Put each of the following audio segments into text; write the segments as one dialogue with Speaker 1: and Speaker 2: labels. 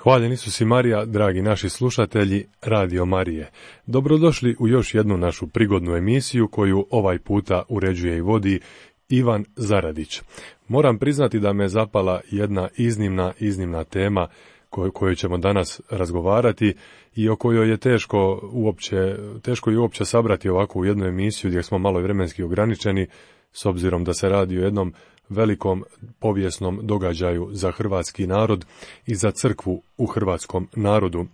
Speaker 1: Hvaljen Isus i Marija, dragi naši slušatelji Radio Marije. Dobrodošli u još jednu našu prigodnu emisiju koju ovaj puta uređuje i vodi Ivan Zaradić. Moram priznati da me zapala jedna iznimna tema koju ćemo danas razgovarati i o kojoj je teško je uopće sabrati ovako u jednu emisiju gdje smo malo vremenski ograničeni, s obzirom da se radi o jednom velikom povijesnom događaju za hrvatski narod i za crkvu u hrvatskom narodu.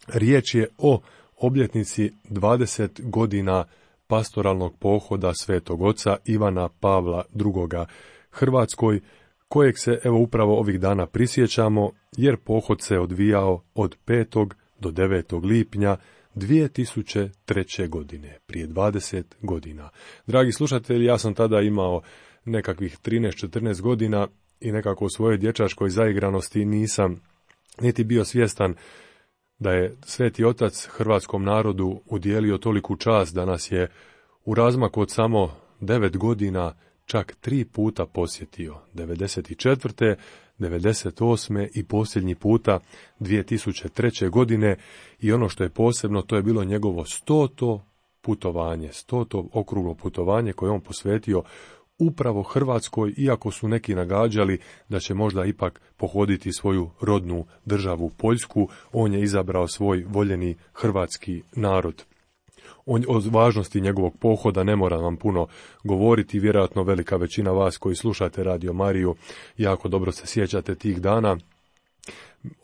Speaker 1: Riječ je o obljetnici 20 godina pastoralnog pohoda Svetog Oca Ivana Pavla II. Hrvatskoj, kojeg se evo upravo ovih dana prisjećamo, jer pohod se odvijao od 5. do 9. lipnja 2003. godine, prije 20 godina. Dragi slušatelji, ja sam tada imao nekakvih 13-14 godina i nekako u svojoj dječačkoj zaigranosti nisam niti bio svjestan da je Sveti Otac hrvatskom narodu udijelio toliku čast da nas je u razmaku od samo 9 godina čak 3 puta posjetio. 94., 98. i posljednji puta 2003. godine, i ono što je posebno, to je bilo njegovo 100. putovanje, 100. okruglo putovanje koje on posvetio upravo Hrvatskoj, iako su neki nagađali da će možda ipak pohoditi svoju rodnu državu Poljsku, on je izabrao svoj voljeni hrvatski narod. O važnosti njegovog pohoda ne moram vam puno govoriti, vjerojatno velika većina vas koji slušate Radio Mariju jako dobro se sjećate tih dana.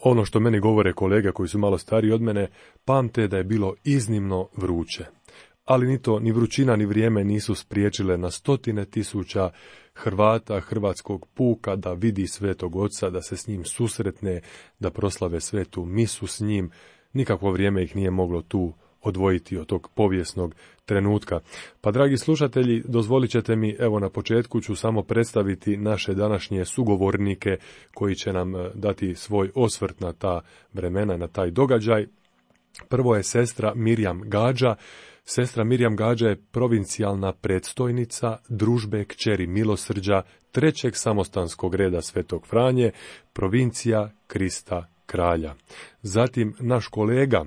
Speaker 1: Ono što meni govore kolege koji su malo stariji od mene, pamte da je bilo iznimno vruće. Ali ni to, ni vrućina, ni vrijeme nisu spriječile na stotine tisuća Hrvata hrvatskog puka da vidi Svetog Oca, da se s njim susretne, da proslave svetu misu s njim. Nikakvo vrijeme ih nije moglo tu odvojiti od tog povijesnog trenutka. Pa, dragi slušatelji, dozvolit ćete mi, evo na početku ću samo predstaviti naše današnje sugovornike koji će nam dati svoj osvrt na ta vremena, na taj događaj. Prvo je sestra Mirjam Gađa. Sestra Mirjam Gađa je provincijalna predstojnica družbe kćeri milosrđa 3. samostanskog reda Svetog Franje, provincija Krista Kralja. Zatim naš kolega,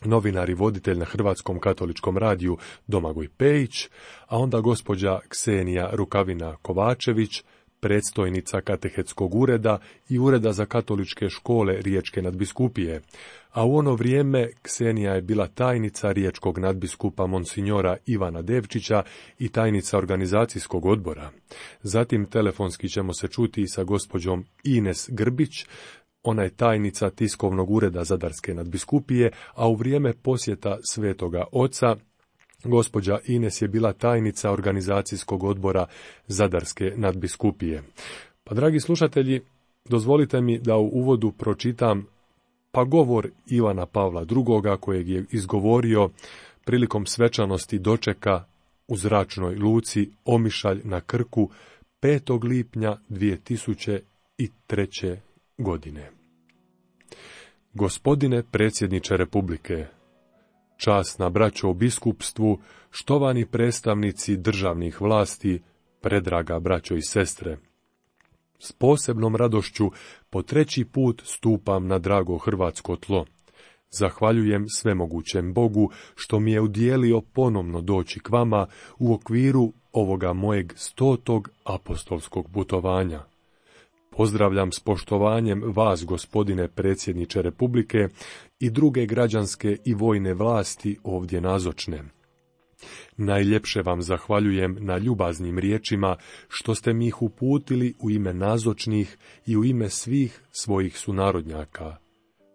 Speaker 1: novinar i voditelj na Hrvatskom katoličkom radiju Domagoj Pejić, a onda gospođa Ksenija Rukavina Kovačević, predstojnica katehetskog ureda i ureda za katoličke škole Riječke nadbiskupije, a u ono vrijeme Ksenija je bila tajnica riječkog nadbiskupa monsinjora Ivana Devčića i tajnica organizacijskog odbora. Zatim telefonski ćemo se čuti sa gospođom Ines Grbić, ona je tajnica tiskovnog ureda Zadarske nadbiskupije, a u vrijeme posjeta Svetoga Oca gospođa Ines je bila tajnica organizacijskog odbora Zadarske nadbiskupije. Pa, dragi slušatelji, dozvolite mi da u uvodu pročitam govor Ivana Pavla II. Kojeg je izgovorio prilikom svečanosti dočeka u zračnoj luci Omišalj na Krku 5. lipnja 2003. godine. Gospodine predsjedniče Republike, časna braćo u biskupstvu, štovani predstavnici državnih vlasti, predraga braćo i sestre, s posebnom radošću po 3. put stupam na drago hrvatsko tlo. Zahvaljujem svemogućem Bogu što mi je udijelio ponovno doći k vama u okviru ovoga mojeg 100. apostolskog putovanja. Pozdravljam s poštovanjem vas, gospodine predsjedniče Republike, i druge građanske i vojne vlasti ovdje nazočne. Najljepše vam zahvaljujem na ljubaznim riječima što ste mi ih uputili u ime nazočnih i u ime svih svojih sunarodnjaka.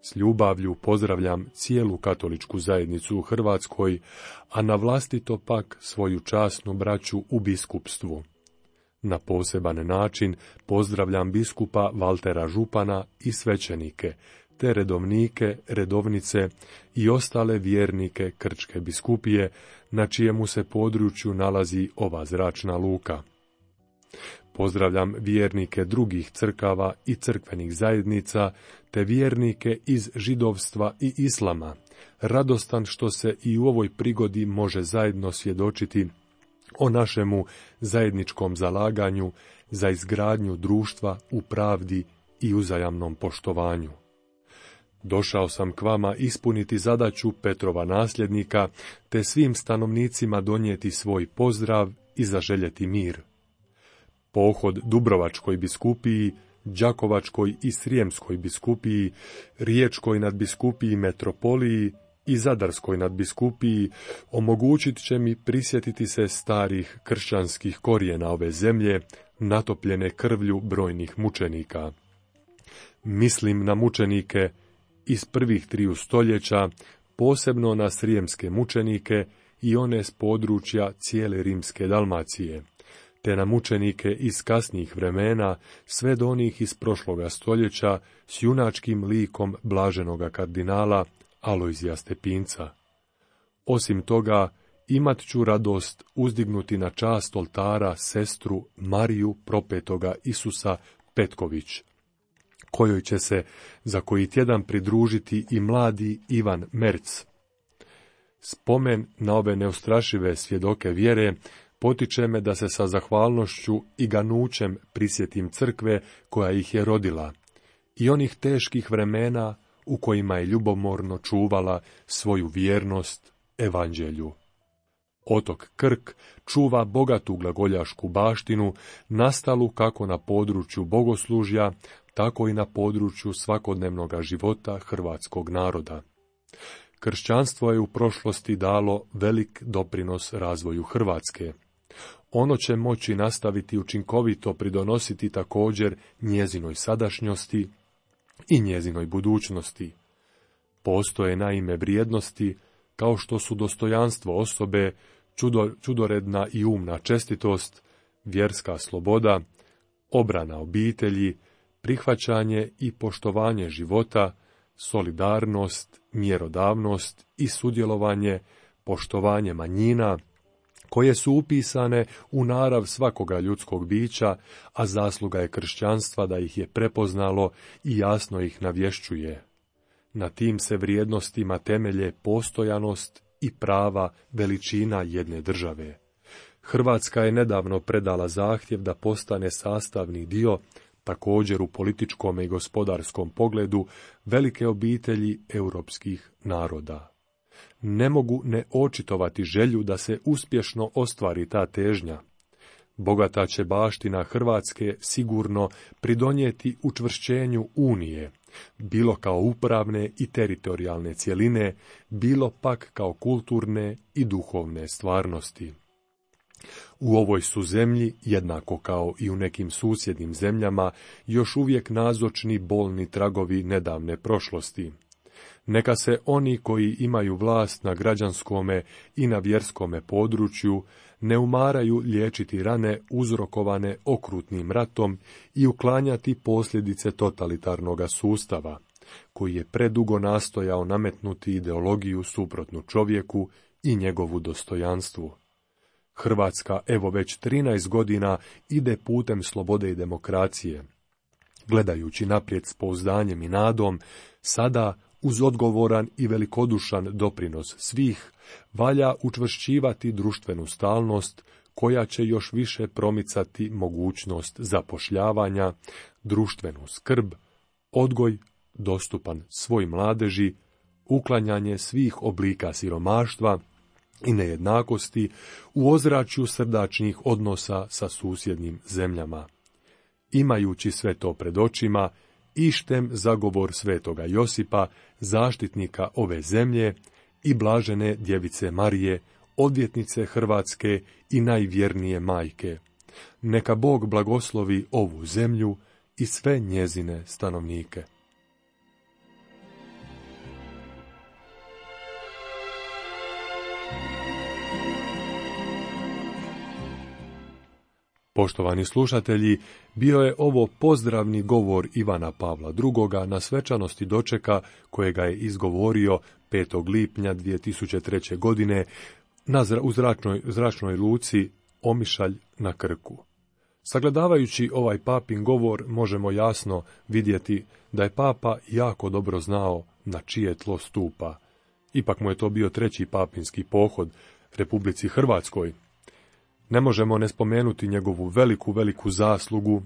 Speaker 1: S ljubavlju pozdravljam cijelu katoličku zajednicu u Hrvatskoj, a na vlastito pak svoju časnu braću u biskupstvu. Na poseban način pozdravljam biskupa Valtera Župana i svećenike, te redovnike, redovnice i ostale vjernike Krčke biskupije, na čijemu se području nalazi ova zračna luka. Pozdravljam vjernike drugih crkava i crkvenih zajednica, te vjernike iz židovstva i islama, radostan što se i u ovoj prigodi može zajedno svjedočiti o našemu zajedničkom zalaganju za izgradnju društva u pravdi i uzajamnom poštovanju. Došao sam k vama ispuniti zadaću Petrova nasljednika, te svim stanovnicima donijeti svoj pozdrav i zaželjeti mir. Pohod Dubrovačkoj biskupiji, Đakovačkoj i Srijemskoj biskupiji, Riječkoj nadbiskupiji metropoliji i Zadarskoj nadbiskupiji omogućit će mi prisjetiti se starih kršćanskih korijena ove zemlje, natopljene krvlju brojnih mučenika. Mislim na mučenike iz prvih 3 stoljeća, posebno na srijemske mučenike i one s područja cijele rimske Dalmacije, te na mučenike iz kasnijih vremena, sve do onih iz prošloga stoljeća s junačkim likom blaženoga kardinala Alojzija Stepinca. Osim toga, imat ću radost uzdignuti na čast oltara sestru Mariju propetoga Isusa Petković, kojoj će se za koji tjedan pridružiti i mladi Ivan Merc. Spomen na ove neustrašive svjedoke vjere potiče me da se sa zahvalnošću i ganućem prisjetim crkve koja ih je rodila i onih teških vremena u kojima je ljubomorno čuvala svoju vjernost evanđelju. Otok Krk čuva bogatu glagoljašku baštinu, nastalu kako na području bogoslužja, tako i na području svakodnevnog života hrvatskog naroda. Kršćanstvo je u prošlosti dalo velik doprinos razvoju Hrvatske. Ono će moći nastaviti učinkovito pridonositi također njezinoj sadašnjosti i njezinoj budućnosti. Postoje naime vrijednosti kao što su dostojanstvo osobe, čudoredna i umna čestitost, vjerska sloboda, obrana obitelji, prihvaćanje i poštovanje života, solidarnost, mjerodavnost i sudjelovanje, poštovanje manjina, koje su upisane u narav svakoga ljudskog bića, a zasluga je kršćanstva da ih je prepoznalo i jasno ih navješćuje. Na tim se vrijednostima temelje postojanost i prava veličina jedne države. Hrvatska je nedavno predala zahtjev da postane sastavni dio, također u političkom i gospodarskom pogledu, velike obitelji europskih naroda. Ne mogu ne očitovati želju da se uspješno ostvari ta težnja. Bogata će baština Hrvatske sigurno pridonijeti učvršćenju Unije, bilo kao upravne i teritorijalne cjeline, bilo pak kao kulturne i duhovne stvarnosti. U ovoj su zemlji, jednako kao i u nekim susjednim zemljama, još uvijek nazočni bolni tragovi nedavne prošlosti. Neka se oni koji imaju vlast na građanskome i na vjerskome području ne umaraju liječiti rane uzrokovane okrutnim ratom i uklanjati posljedice totalitarnog sustava, koji je predugo nastojao nametnuti ideologiju suprotnu čovjeku i njegovu dostojanstvu. Hrvatska evo već 13 godina ide putem slobode i demokracije. Gledajući naprijed s pouzdanjem i nadom, sada uz odgovoran i velikodušan doprinos svih, valja učvršćivati društvenu stalnost, koja će još više promicati mogućnost zapošljavanja, društvenu skrb, odgoj dostupan svoj mladeži, uklanjanje svih oblika siromaštva i nejednakosti u ozračju srdačnih odnosa sa susjednim zemljama. Imajući sve to pred očima, ištem zagovor svetoga Josipa, zaštitnika ove zemlje, i blažene djevice Marije, odvjetnice Hrvatske i najvjernije majke. Neka Bog blagoslovi ovu zemlju i sve njezine stanovnike. Poštovani slušatelji, bio je ovo pozdravni govor Ivana Pavla II. Na svečanosti dočeka kojega je izgovorio 5. lipnja 2003. godine u zračnoj luci Omišalj na Krku. Sagledavajući ovaj papin govor možemo jasno vidjeti da je papa jako dobro znao na čije tlo stupa. Ipak mu je to bio 3. papinski pohod Republici Hrvatskoj. Ne možemo ne spomenuti njegovu veliku zaslugu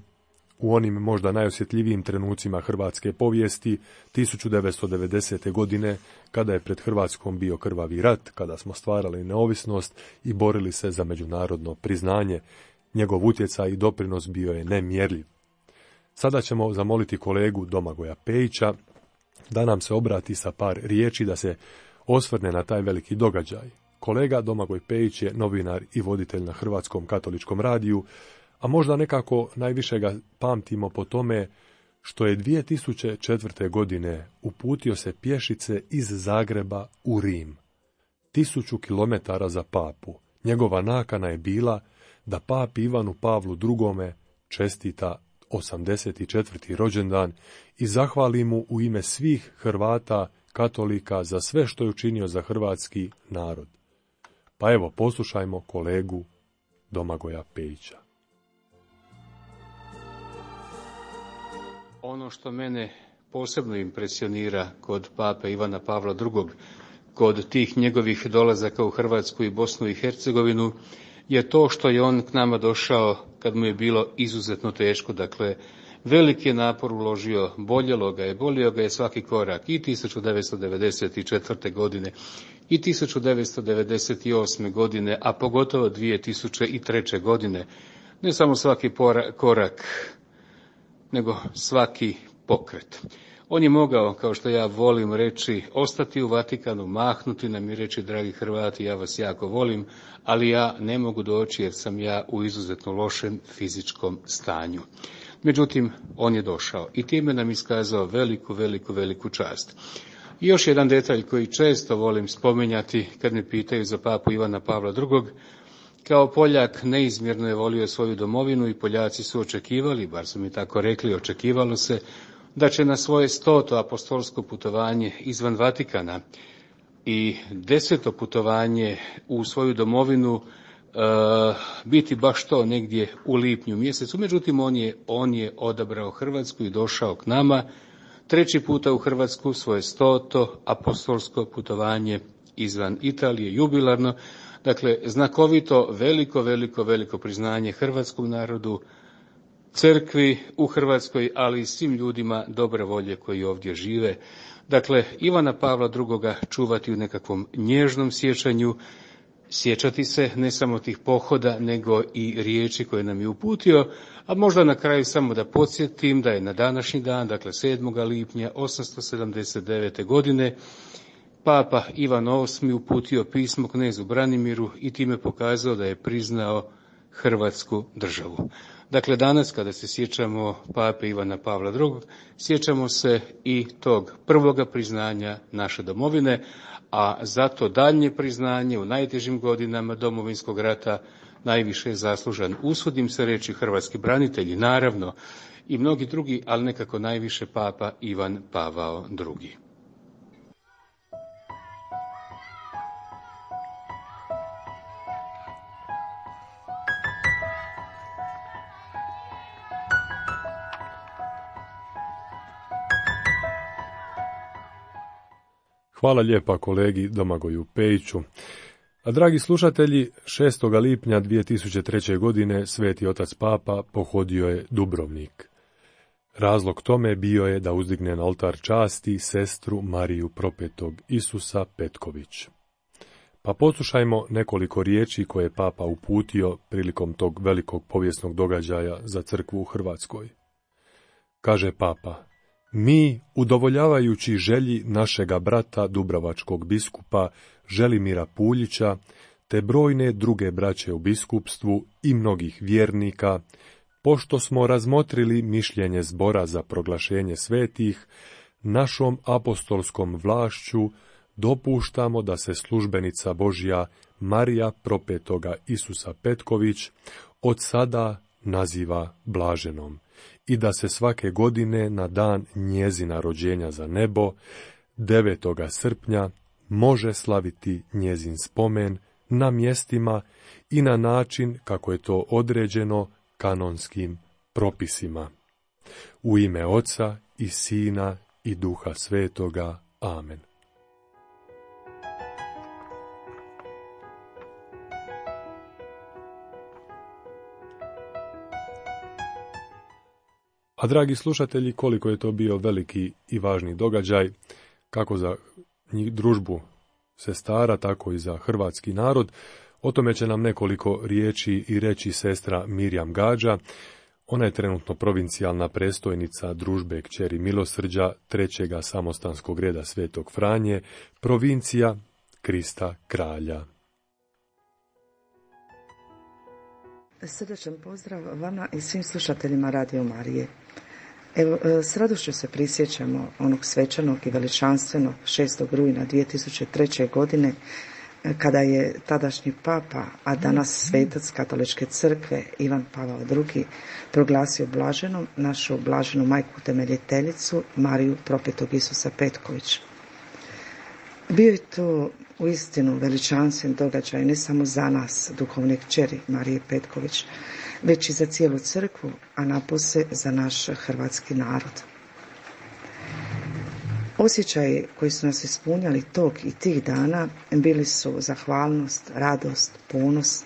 Speaker 1: u onim možda najosjetljivijim trenucima hrvatske povijesti, 1990. godine, kada je pred Hrvatskom bio krvavi rat, kada smo stvarali neovisnost i borili se za međunarodno priznanje. Njegov utjecaj i doprinos bio je nemjerljiv. Sada ćemo zamoliti kolegu Domagoja Pejića da nam se obrati sa par riječi, da se osvrne na taj veliki događaj. Kolega Domagoj Pejić je novinar i voditelj na Hrvatskom katoličkom radiju, a možda nekako najviše ga pamtimo po tome što je 2004. godine uputio se pješice iz Zagreba u Rim. 1000 kilometara za papu. Njegova nakana je bila da papi Ivanu Pavlu II. Čestita 84. rođendan i zahvali mu u ime svih Hrvata, katolika, za sve što je učinio za hrvatski narod. Pa evo, poslušajmo kolegu Domagoja Pejića.
Speaker 2: Ono što mene posebno impresionira kod pape Ivana Pavla II, kod tih njegovih dolazaka u Hrvatsku i Bosnu i Hercegovinu, je to što je on k nama došao kad mu je bilo izuzetno teško. Dakle, veliki je napor uložio, bolio ga je svaki korak i 1994. godine i 1998. godine, a pogotovo 2003. godine. Ne samo svaki korak, nego svaki pokret. On je mogao, kao što ja volim reći, ostati u Vatikanu, mahnuti nam i reći: dragi Hrvati, ja vas jako volim, ali ja ne mogu doći jer sam ja u izuzetno lošem fizičkom stanju. Međutim, on je došao i time nam iskazao veliku čast. I još jedan detalj koji često volim spominjati kad me pitaju za papu Ivana Pavla II. Kao Poljak neizmjerno je volio svoju domovinu i Poljaci su očekivali, bar su mi tako rekli, očekivalo se da će na svoje 100. apostolsko putovanje izvan Vatikana i 10. putovanje u svoju domovinu biti baš to negdje u lipnju mjesecu. Međutim, on je odabrao Hrvatsku i došao k nama 3. puta u Hrvatsku, svoje 100. apostolsko putovanje izvan Italije, jubilarno. Dakle, znakovito, veliko priznanje hrvatskom narodu, crkvi u Hrvatskoj, ali i svim ljudima dobre volje koji ovdje žive. Dakle, Ivana Pavla II. Čuvati u nekakvom nježnom sjećanju, sjećati se ne samo tih pohoda, nego i riječi koje nam je uputio, a možda na kraju samo da podsjetim da je na današnji dan, dakle 7. lipnja 879. godine, Papa Ivan VIII. Uputio pismo knezu Branimiru i time pokazao da je priznao Hrvatsku državu. Dakle, danas kada se sjećamo pape Ivana Pavla II, sjećamo se i tog prvoga priznanja naše domovine, a zato daljnje priznanje u najtežim godinama Domovinskog rata najviše je zaslužan, usudim se reći, hrvatski branitelji, naravno i mnogi drugi, ali nekako najviše papa Ivan Pavao II.
Speaker 1: Hvala lijepa kolegi Domagoju Pejiću. A dragi slušatelji, 6. lipnja 2003. godine Sveti otac Papa pohodio je Dubrovnik. Razlog tome bio je da uzdigne na oltar časti sestru Mariju propetog Isusa Petković. Pa poslušajmo nekoliko riječi koje je Papa uputio prilikom tog velikog povijesnog događaja za crkvu u Hrvatskoj. Kaže Papa: mi, udovoljavajući želji našega brata dubrovačkog biskupa Želimira Puljića, te brojne druge braće u biskupstvu i mnogih vjernika, pošto smo razmotrili mišljenje zbora za proglašenje svetih, našom apostolskom vlašću dopuštamo da se službenica Božja Marija propetoga Isusa Petković od sada naziva blaženom i da se svake godine na dan njezina rođenja za nebo, 9. srpnja, može slaviti njezin spomen na mjestima i na način kako je to određeno kanonskim propisima. U ime Oca i Sina i Duha Svetoga. Amen. A dragi slušatelji, koliko je to bio veliki i važni događaj, kako za družbu sestara, tako i za hrvatski narod, o tome će nam nekoliko riječi i reći sestra Mirjam Gađa. Ona je trenutno provincijalna predstojnica družbe Kćeri milosrđa trećega samostanskog reda Svetog Franje, provincija Krista Kralja.
Speaker 3: Srdačan pozdrav vama i svim slušateljima Radio Marije. Evo, s radošću se prisjećamo onog svečanog i veličanstvenog 6. rujna 2003. godine, kada je tadašnji papa, a danas svetac Katoličke crkve Ivan Pavao II. Proglasio blaženom našu blaženu majku utemeljiteljicu Mariju propetog Isusa Petković. Bio je to uistinu veličanstven događaj ne samo za nas, duhovne kćeri Marije Petković, već i za cijelu crkvu, a napose za naš hrvatski narod. Osjećaji koji su nas ispunjali tog i tih dana bili su zahvalnost, radost, ponos,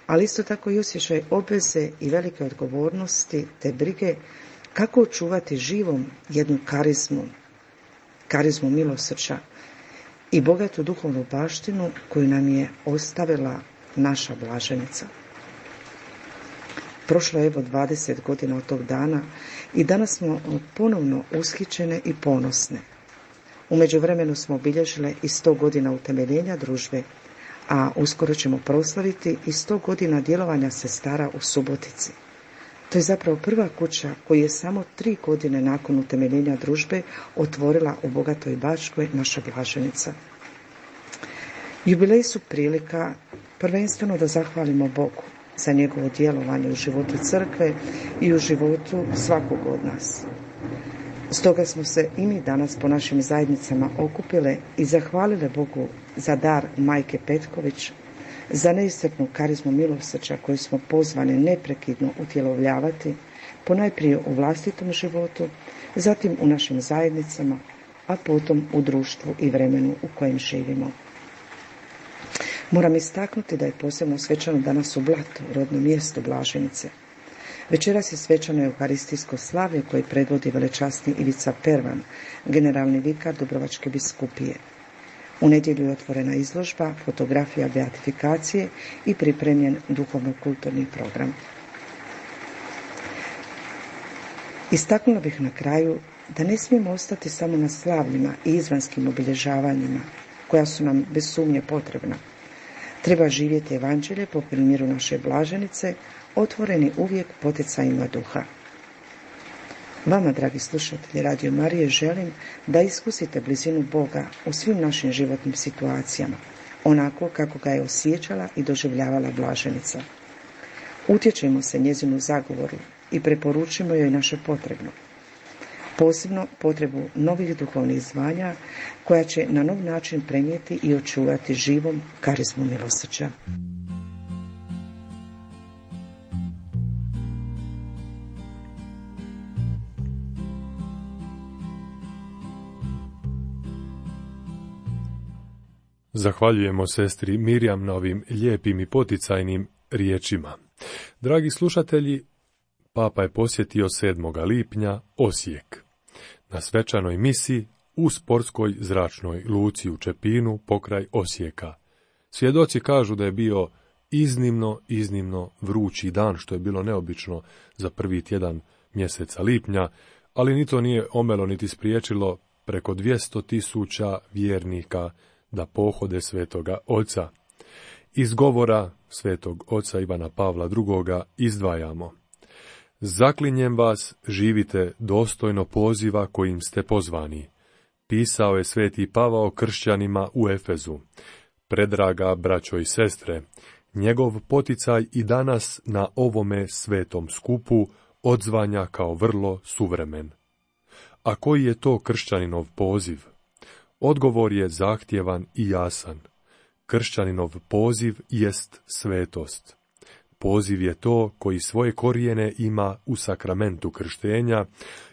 Speaker 3: ali isto tako i osjećaj obveze i velike odgovornosti te brige kako očuvati živom jednu karizmu milosrđa i bogatu duhovnu baštinu koju nam je ostavila naša blaženica. Prošlo je evo 20 godina od tog dana i danas smo ponovno ushićene i ponosne. U međuvremenu smo obilježile i 100 godina utemeljenja družbe, a uskoro ćemo proslaviti i 100 godina djelovanja sestara u Subotici. To je zapravo prva kuća koju je samo 3 godine nakon utemeljenja družbe otvorila u Bogatoj Bačkoj naša blaženica. Jubileji su prilika prvenstveno da zahvalimo Bogu za njegovo djelovanje u životu crkve i u životu svakog od nas. Stoga smo se i mi danas po našim zajednicama okupile i zahvalile Bogu za dar majke Petković, za neiscrpnu karizmu milosrđa koju smo pozvane neprekidno utjelovljavati, ponajprije u vlastitom životu, zatim u našim zajednicama, a potom u društvu i vremenu u kojem živimo. Moram istaknuti da je posebno svečano danas u Blatu, rodnom mjestu blaženice. Večeras je svečano euharistijsko slavlje koje predvodi velečasni Ivica Pervan, generalni vikar Dubrovačke biskupije. U nedjelju je otvorena izložba, fotografija beatifikacije i pripremljen duhovno-kulturni program. Istaknula bih na kraju da ne smijemo ostati samo na slavljima i izvanskim obilježavanjima, koja su nam bez sumnje potrebna. Treba živjeti evanđelje po primjeru naše blaženice, otvoreni uvijek poticajima duha. Vama, dragi slušatelji Radio Marije, želim da iskusite blizinu Boga u svim našim životnim situacijama, onako kako ga je osjećala i doživljavala blaženica. Utječemo se njezinu zagovoru i preporučimo joj naše potrebno. Posebno potrebu novih duhovnih zvanja koja će na nov način prenijeti i očuvati živom karizmu milosrđa.
Speaker 1: Zahvaljujemo sestri Mirjam na ovim lijepim i poticajnim riječima. Dragi slušatelji, Papa je posjetio 7. lipnja Osijek. Na svečanoj misi u sportskoj zračnoj luci u Čepinu pokraj Osijeka. Svjedoci kažu da je bio iznimno vrući dan, što je bilo neobično za prvi tjedan mjeseca lipnja, ali ni to nije omelo niti spriječilo preko 200.000 vjernika da pohode Svetoga Oca. Iz govora Svetog Oca Ivana Pavla II. Izdvajamo: Zaklinjem vas, živite dostojno poziva kojim ste pozvani. Pisao je Sveti Pavao kršćanima u Efezu. Predraga braćo i sestre, njegov poticaj i danas na ovome svetom skupu odzvanja kao vrlo suvremen. A koji je to kršćaninov poziv? Odgovor je zahtjevan i jasan. Kršćaninov poziv jest svetost. Poziv je to koji svoje korijene ima u sakramentu krštenja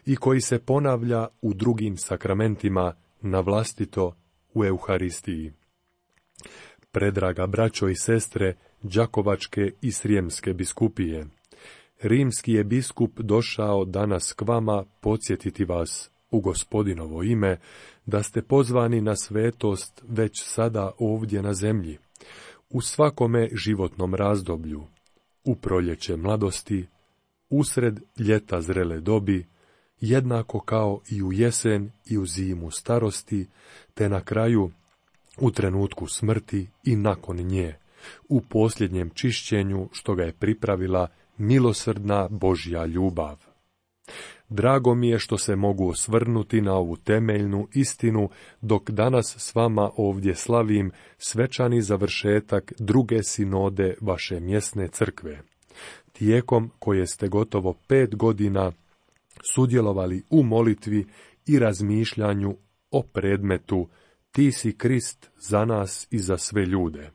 Speaker 1: i koji se ponavlja u drugim sakramentima na vlastito u Euharistiji. Predraga braćo i sestre Đakovačke i Srijemske biskupije, rimski je biskup došao danas k vama podsjetiti vas u Gospodinovo ime, da ste pozvani na svetost već sada ovdje na zemlji, u svakome životnom razdoblju, u proljeće mladosti, usred ljeta zrele dobi, jednako kao i u jesen i u zimu starosti, te na kraju u trenutku smrti i nakon nje, u posljednjem čišćenju što ga je pripravila milosrdna Božja ljubav. Drago mi je što se mogu osvrnuti na ovu temeljnu istinu, dok danas s vama ovdje slavim svečani završetak druge sinode vaše mjesne crkve, tijekom koje ste gotovo 5 godina sudjelovali u molitvi i razmišljanju o predmetu Ti si Krist za nas i za sve ljude.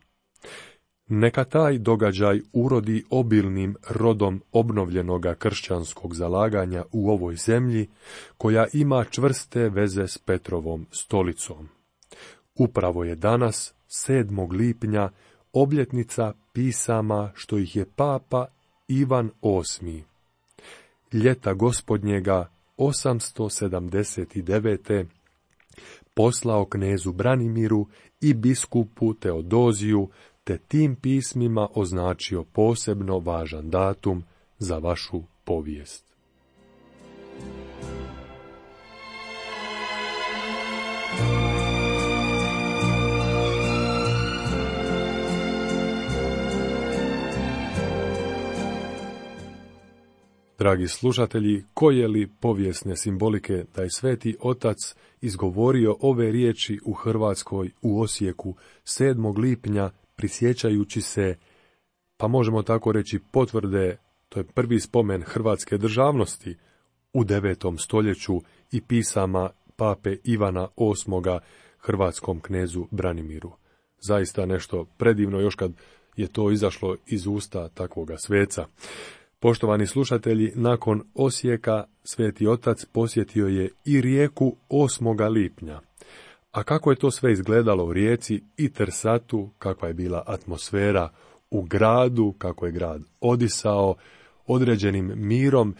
Speaker 1: Neka taj događaj urodi obilnim rodom obnovljenoga kršćanskog zalaganja u ovoj zemlji, koja ima čvrste veze s Petrovom stolicom. Upravo je danas, 7. lipnja, obljetnica pisama što ih je Papa Ivan VIII. Ljeta gospodnjega 879. poslao knezu Branimiru i biskupu Teodoziju, te tim pismima označio posebno važan datum za vašu povijest. Dragi slušatelji, koje li povijesne simbolike da je Sveti Otac izgovorio ove riječi u Hrvatskoj u Osijeku 7. lipnja, prisjećajući se, pa možemo tako reći, potvrde, to je prvi spomen hrvatske državnosti u 9. stoljeću i pisama pape Ivana VIII. Hrvatskom knezu Branimiru. Zaista nešto predivno, još kad je to izašlo iz usta takvoga sveca. Poštovani slušatelji, nakon Osijeka Sveti Otac posjetio je i Rijeku 8. lipnja. A kako je to sve izgledalo u Rijeci i Trsatu, kakva je bila atmosfera u gradu, kako je grad odisao određenim mirom,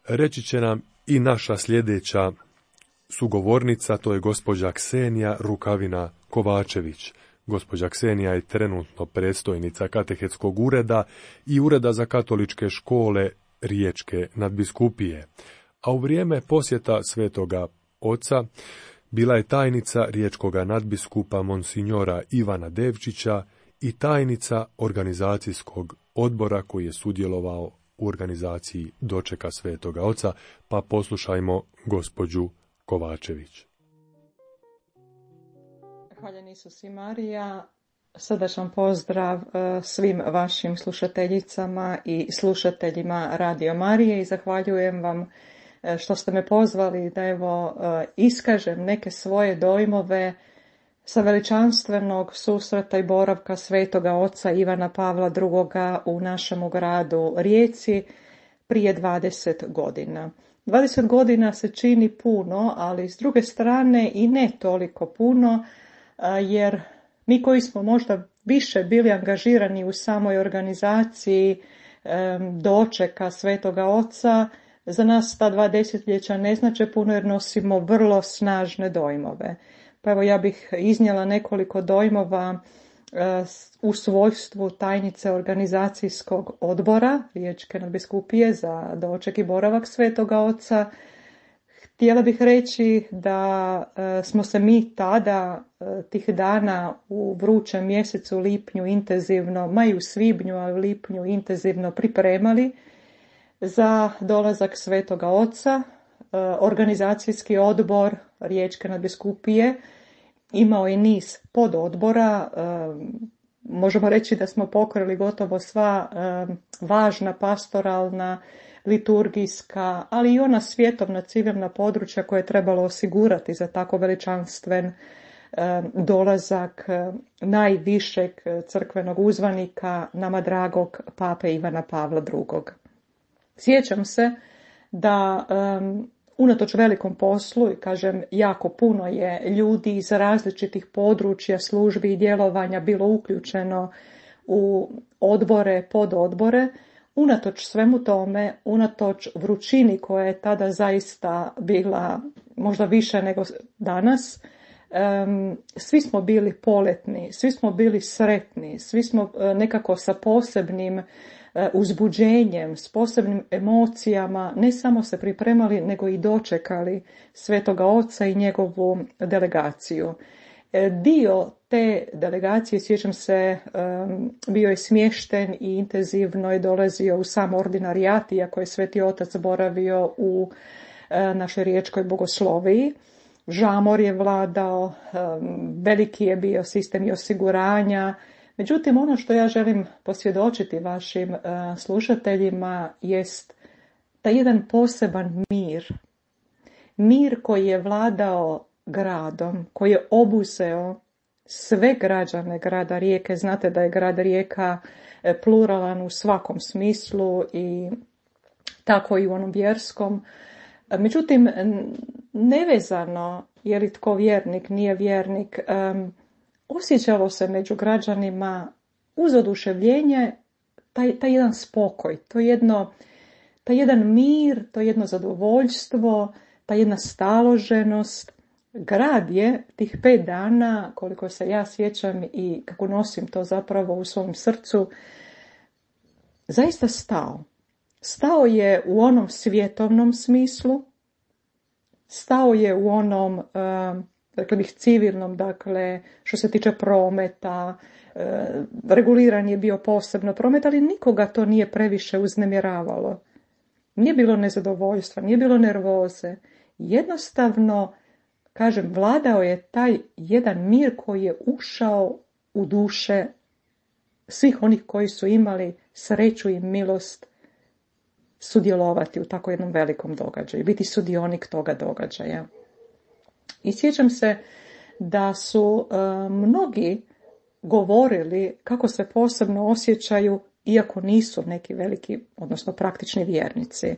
Speaker 1: reći će nam i naša sljedeća sugovornica, to je gospođa Ksenija Rukavina Kovačević. Gospođa Ksenija je trenutno predstojnica katehetskog ureda i ureda za katoličke škole Riječke nadbiskupije, a u vrijeme posjeta Svetoga Oca bila je tajnica riječkoga nadbiskupa monsinjora Ivana Devčića i tajnica organizacijskog odbora koji je sudjelovao u organizaciji dočeka Svetoga Oca, pa poslušajmo gospođu Kovačević.
Speaker 4: Hvaljen Isus i Marija, srdačan pozdrav svim vašim slušateljicama i slušateljima Radio Marije i zahvaljujem vam što ste me pozvali da iskažem neke svoje dojmove sa veličanstvenog susreta i boravka Svetoga Oca Ivana Pavla II. U našemu gradu Rijeci prije 20 godina. 20 godina se čini puno, ali s druge strane i ne toliko puno, jer mi koji smo možda više bili angažirani u samoj organizaciji dočeka Svetoga Oca, za nas ta 2 desetljeća ne znače puno jer nosimo vrlo snažne dojmove. Pa evo ja bih iznijela nekoliko dojmova u svojstvu tajnice organizacijskog odbora Riječke nadbiskupije za doček i boravak Svetoga Oca. Htjela bih reći da smo se mi tada, tih dana u vrućem mjesecu lipnju intenzivno, ma i u svibnju, a u lipnju intenzivno pripremali za dolazak Svetoga Oca. Organizacijski odbor Riječke nadbiskupije imao je niz pododbora. Možemo reći da smo pokrili gotovo sva važna pastoralna, liturgijska, ali i ona svjetovna civilna područja koje je trebalo osigurati za tako veličanstven dolazak najvišeg crkvenog uzvanika, nama dragog pape Ivana Pavla II. Sjećam se da unatoč velikom poslu, i kažem jako puno je ljudi iz različitih područja, službi i djelovanja bilo uključeno u odbore, pododbore, unatoč svemu tome, unatoč vrućini koja je tada zaista bila možda više nego danas, svi smo bili poletni, svi smo bili sretni, svi smo nekako sa posebnim uzbuđenjem, s posebnim emocijama, ne samo se pripremali, nego i dočekali Svetoga Oca i njegovu delegaciju. Dio te delegacije, sjećam se, bio je smješten i intenzivno je dolazio u sam ordinarijat, iako je Sveti Otac boravio u našoj riječkoj bogosloviji. Žamor je vladao, veliki je bio sistem i osiguranja. Međutim, ono što ja želim posvjedočiti vašim slušateljima jest taj jedan poseban mir. Mir koji je vladao gradom, koji je obuzeo sve građane grada Rijeke. Znate da je grad Rijeka pluralan u svakom smislu i tako i u onom vjerskom. Međutim, nevezano je li tko vjernik, nije vjernik, osjećalo se među građanima uz oduševljenje taj jedan spokoj, taj jedan mir, to jedno zadovoljstvo, ta jedna staloženost. Grad je tih 5 dana, koliko se ja sjećam i kako nosim to zapravo u svom srcu, zaista stao. Stao je u onom svjetovnom smislu, stao je u onom, dakle bih civilnom, dakle što se tiče prometa, reguliran je bio posebno promet, ali nikoga to nije previše uznemiravalo. Nije bilo nezadovoljstva, nije bilo nervoze. Jednostavno, kažem, vladao je taj jedan mir koji je ušao u duše svih onih koji su imali sreću i milost sudjelovati u tako jednom velikom događaju, biti sudionik toga događaja. I sjećam se da su mnogi govorili kako se posebno osjećaju, iako nisu neki veliki, odnosno praktični vjernici.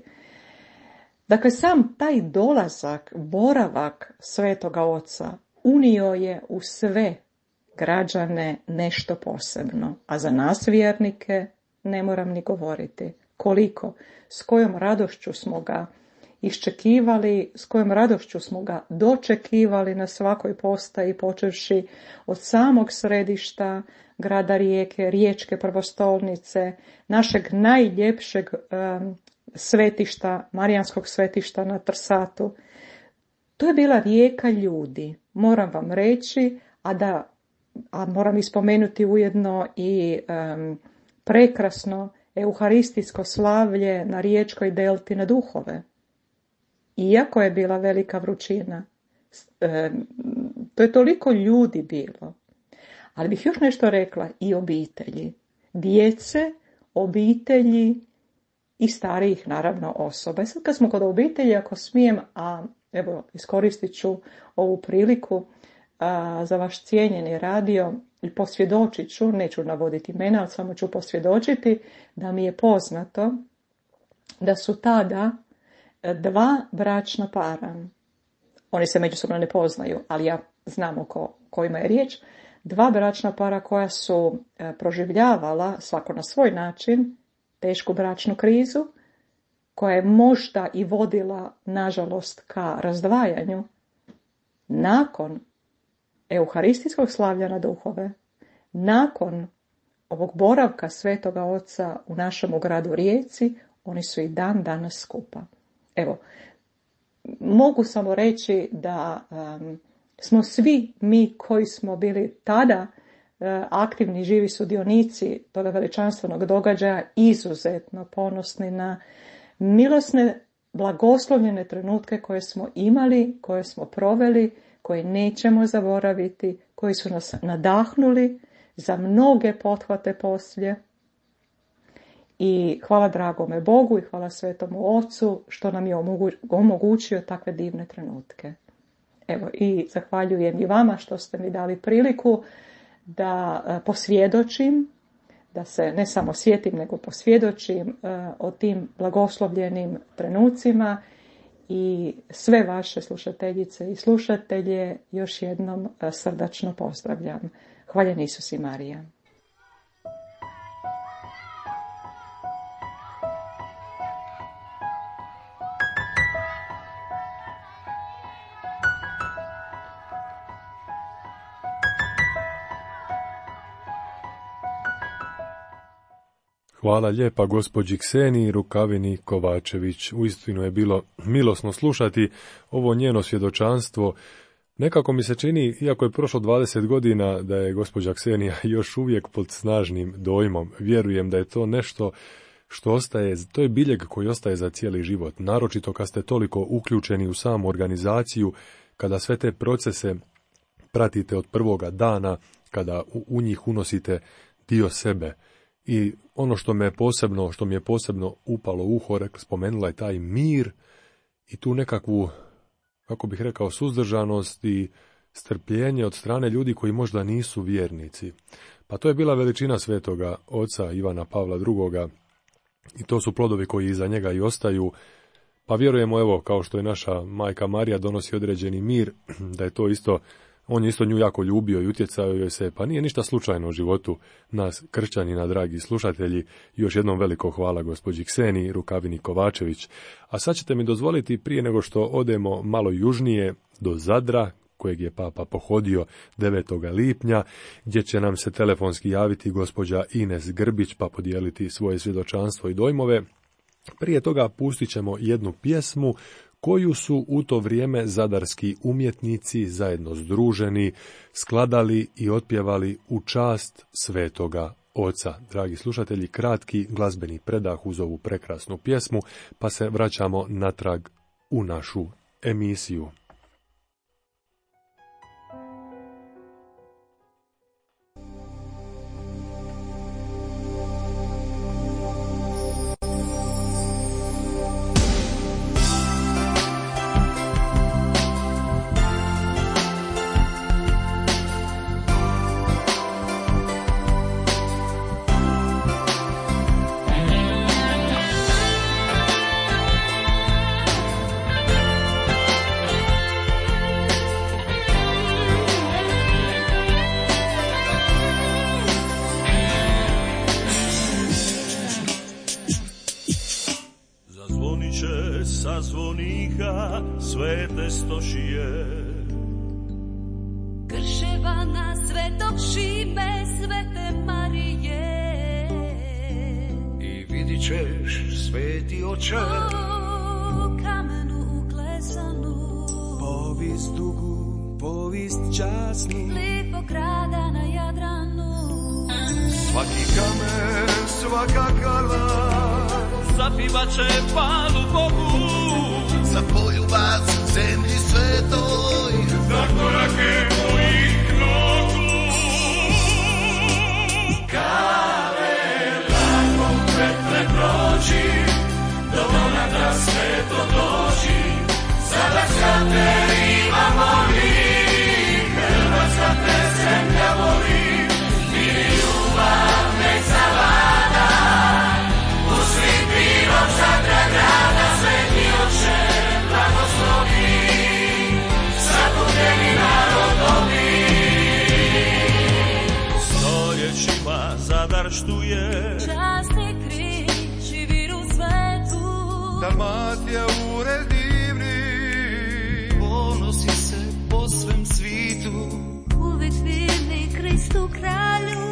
Speaker 4: Dakle, sam taj dolazak, boravak Svetoga Oca unio je u sve građane nešto posebno, a za nas vjernike ne moram ni govoriti. Koliko, s kojom radošću smo ga iščekivali, s kojom radošću smo ga dočekivali na svakoj postaji, počevši od samog središta grada Rijeke, riječke prvostolnice, našeg najljepšeg svetišta, Marijanskog svetišta na Trsatu. To je bila rijeka ljudi, moram vam reći, a moram ispomenuti ujedno i prekrasno euharistijsko slavlje na riječkoj delti na Duhove. Iako je bila velika vrućina, to je toliko ljudi bilo. Ali bih još nešto rekla, i obitelji. Djece, obitelji i starijih, naravno, osoba. I sad kad smo kod obitelji, ako smijem, a evo, iskoristit ću ovu priliku za vaš cijenjeni radio i posvjedočit ću, neću navoditi imena, ali samo ću posvjedočiti da mi je poznato da su tada 2 bračna para, oni se međusobno ne poznaju, ali ja znam o kojima je riječ, 2 bračna para koja su proživljavala svako na svoj način tešku bračnu krizu, koja je možda i vodila, nažalost, ka razdvajanju, nakon euharistijskog slavlja na Duhove, nakon ovog boravka Svetoga Oca u našem gradu Rijeci, oni su i dan danas skupa. Evo, mogu samo reći da smo svi mi koji smo bili tada aktivni, živi sudionici toga veličanstvenog događaja izuzetno ponosni na milosne, blagoslovljene trenutke koje smo imali, koje smo proveli, koje nećemo zaboraviti, koji su nas nadahnuli za mnoge pothvate poslije. I hvala dragome Bogu i hvala Svetomu Ocu što nam je omogućio takve divne trenutke. Evo, i zahvaljujem i vama što ste mi dali priliku da posvjedočim, da se ne samo sjetim, nego posvjedočim o tim blagoslovljenim trenucima i sve vaše slušateljice i slušatelje još jednom srdačno pozdravljam. Hvaljen Isus i Marija.
Speaker 1: Hvala lijepa gospođi Kseniji Rukavini Kovačević. Uistinu je bilo milosno slušati ovo njeno svjedočanstvo. Nekako mi se čini, iako je prošlo 20 godina, da je gospođa Ksenija još uvijek pod snažnim dojmom. Vjerujem da je to nešto što ostaje, to je biljeg koji ostaje za cijeli život. Naročito kad ste toliko uključeni u samu organizaciju, kada sve te procese pratite od prvoga dana, kada u njih unosite dio sebe. I ono što mi je posebno upalo u uho, spomenula je taj mir i tu nekakvu, kako bih rekao, suzdržanost i strpljenje od strane ljudi koji možda nisu vjernici. Pa to je bila veličina svetoga oca Ivana Pavla II. I to su plodovi koji iza njega i ostaju. Pa vjerujemo, evo, kao što je naša majka Marija donosi određeni mir, da je to isto, on je isto nju jako ljubio i utjecao joj se, pa nije ništa slučajno u životu nas kršćanina, dragi slušatelji. Još jednom veliko hvala gospođi Kseniji Rukavini Kovačević. A sad ćete mi dozvoliti, prije nego što odemo malo južnije do Zadra, kojeg je papa pohodio 9. lipnja, gdje će nam se telefonski javiti gospođa Ines Grbić pa podijeliti svoje svjedočanstvo i dojmove. Prije toga pustit ćemo jednu pjesmu koju su u to vrijeme zadarski umjetnici zajedno združeni skladali i otpjevali u čast svetoga oca. Dragi slušatelji, kratki glazbeni predah uz ovu prekrasnu pjesmu, pa se vraćamo natrag u našu emisiju.
Speaker 5: Svete stošije
Speaker 6: Krševana, Svetog Šime, Svete Marije,
Speaker 5: i vidit ćeš, sveti oče,
Speaker 6: o kamenu uklesanu,
Speaker 5: povijest dugu, povijest časnu,
Speaker 6: lipog grada na Jadranu.
Speaker 5: Svaki kamen, svaka kala zapivat će palu Bogu,
Speaker 7: za poljubac zemlji svetoj,
Speaker 5: za korake mojih nogu. Kale, lagom Petre prođi, do monatra sveto dođi, sada sad te imamo mi, Hrvatska te zemlja voli, i ljubav nek zavlada, u svim pilom Zadra grada, sveti oče, blagoslovi, zabudeni narodovi. Stoljećima Zadar štuje,
Speaker 6: Časni križ i viru svetu,
Speaker 5: Dalmatija ured divni, ponosi se po svem svitu,
Speaker 6: uvijek vjerni Kristu kralju.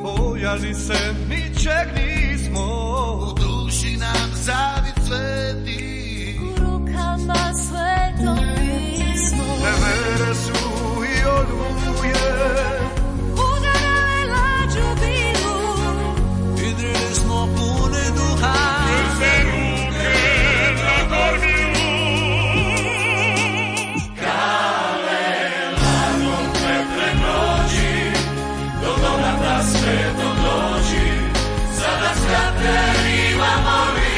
Speaker 5: bojali se ničeg nismo,
Speaker 7: u duši nam zavid sveti,
Speaker 6: U rukama Sveto pismo,
Speaker 5: nevere su i oluje,
Speaker 6: udarale lađu bilu,
Speaker 5: idrili smo pune duha, se ruke na gornju. Kale, lagom Petre prođi, do donata sveto dođi, sada svete imamo mi,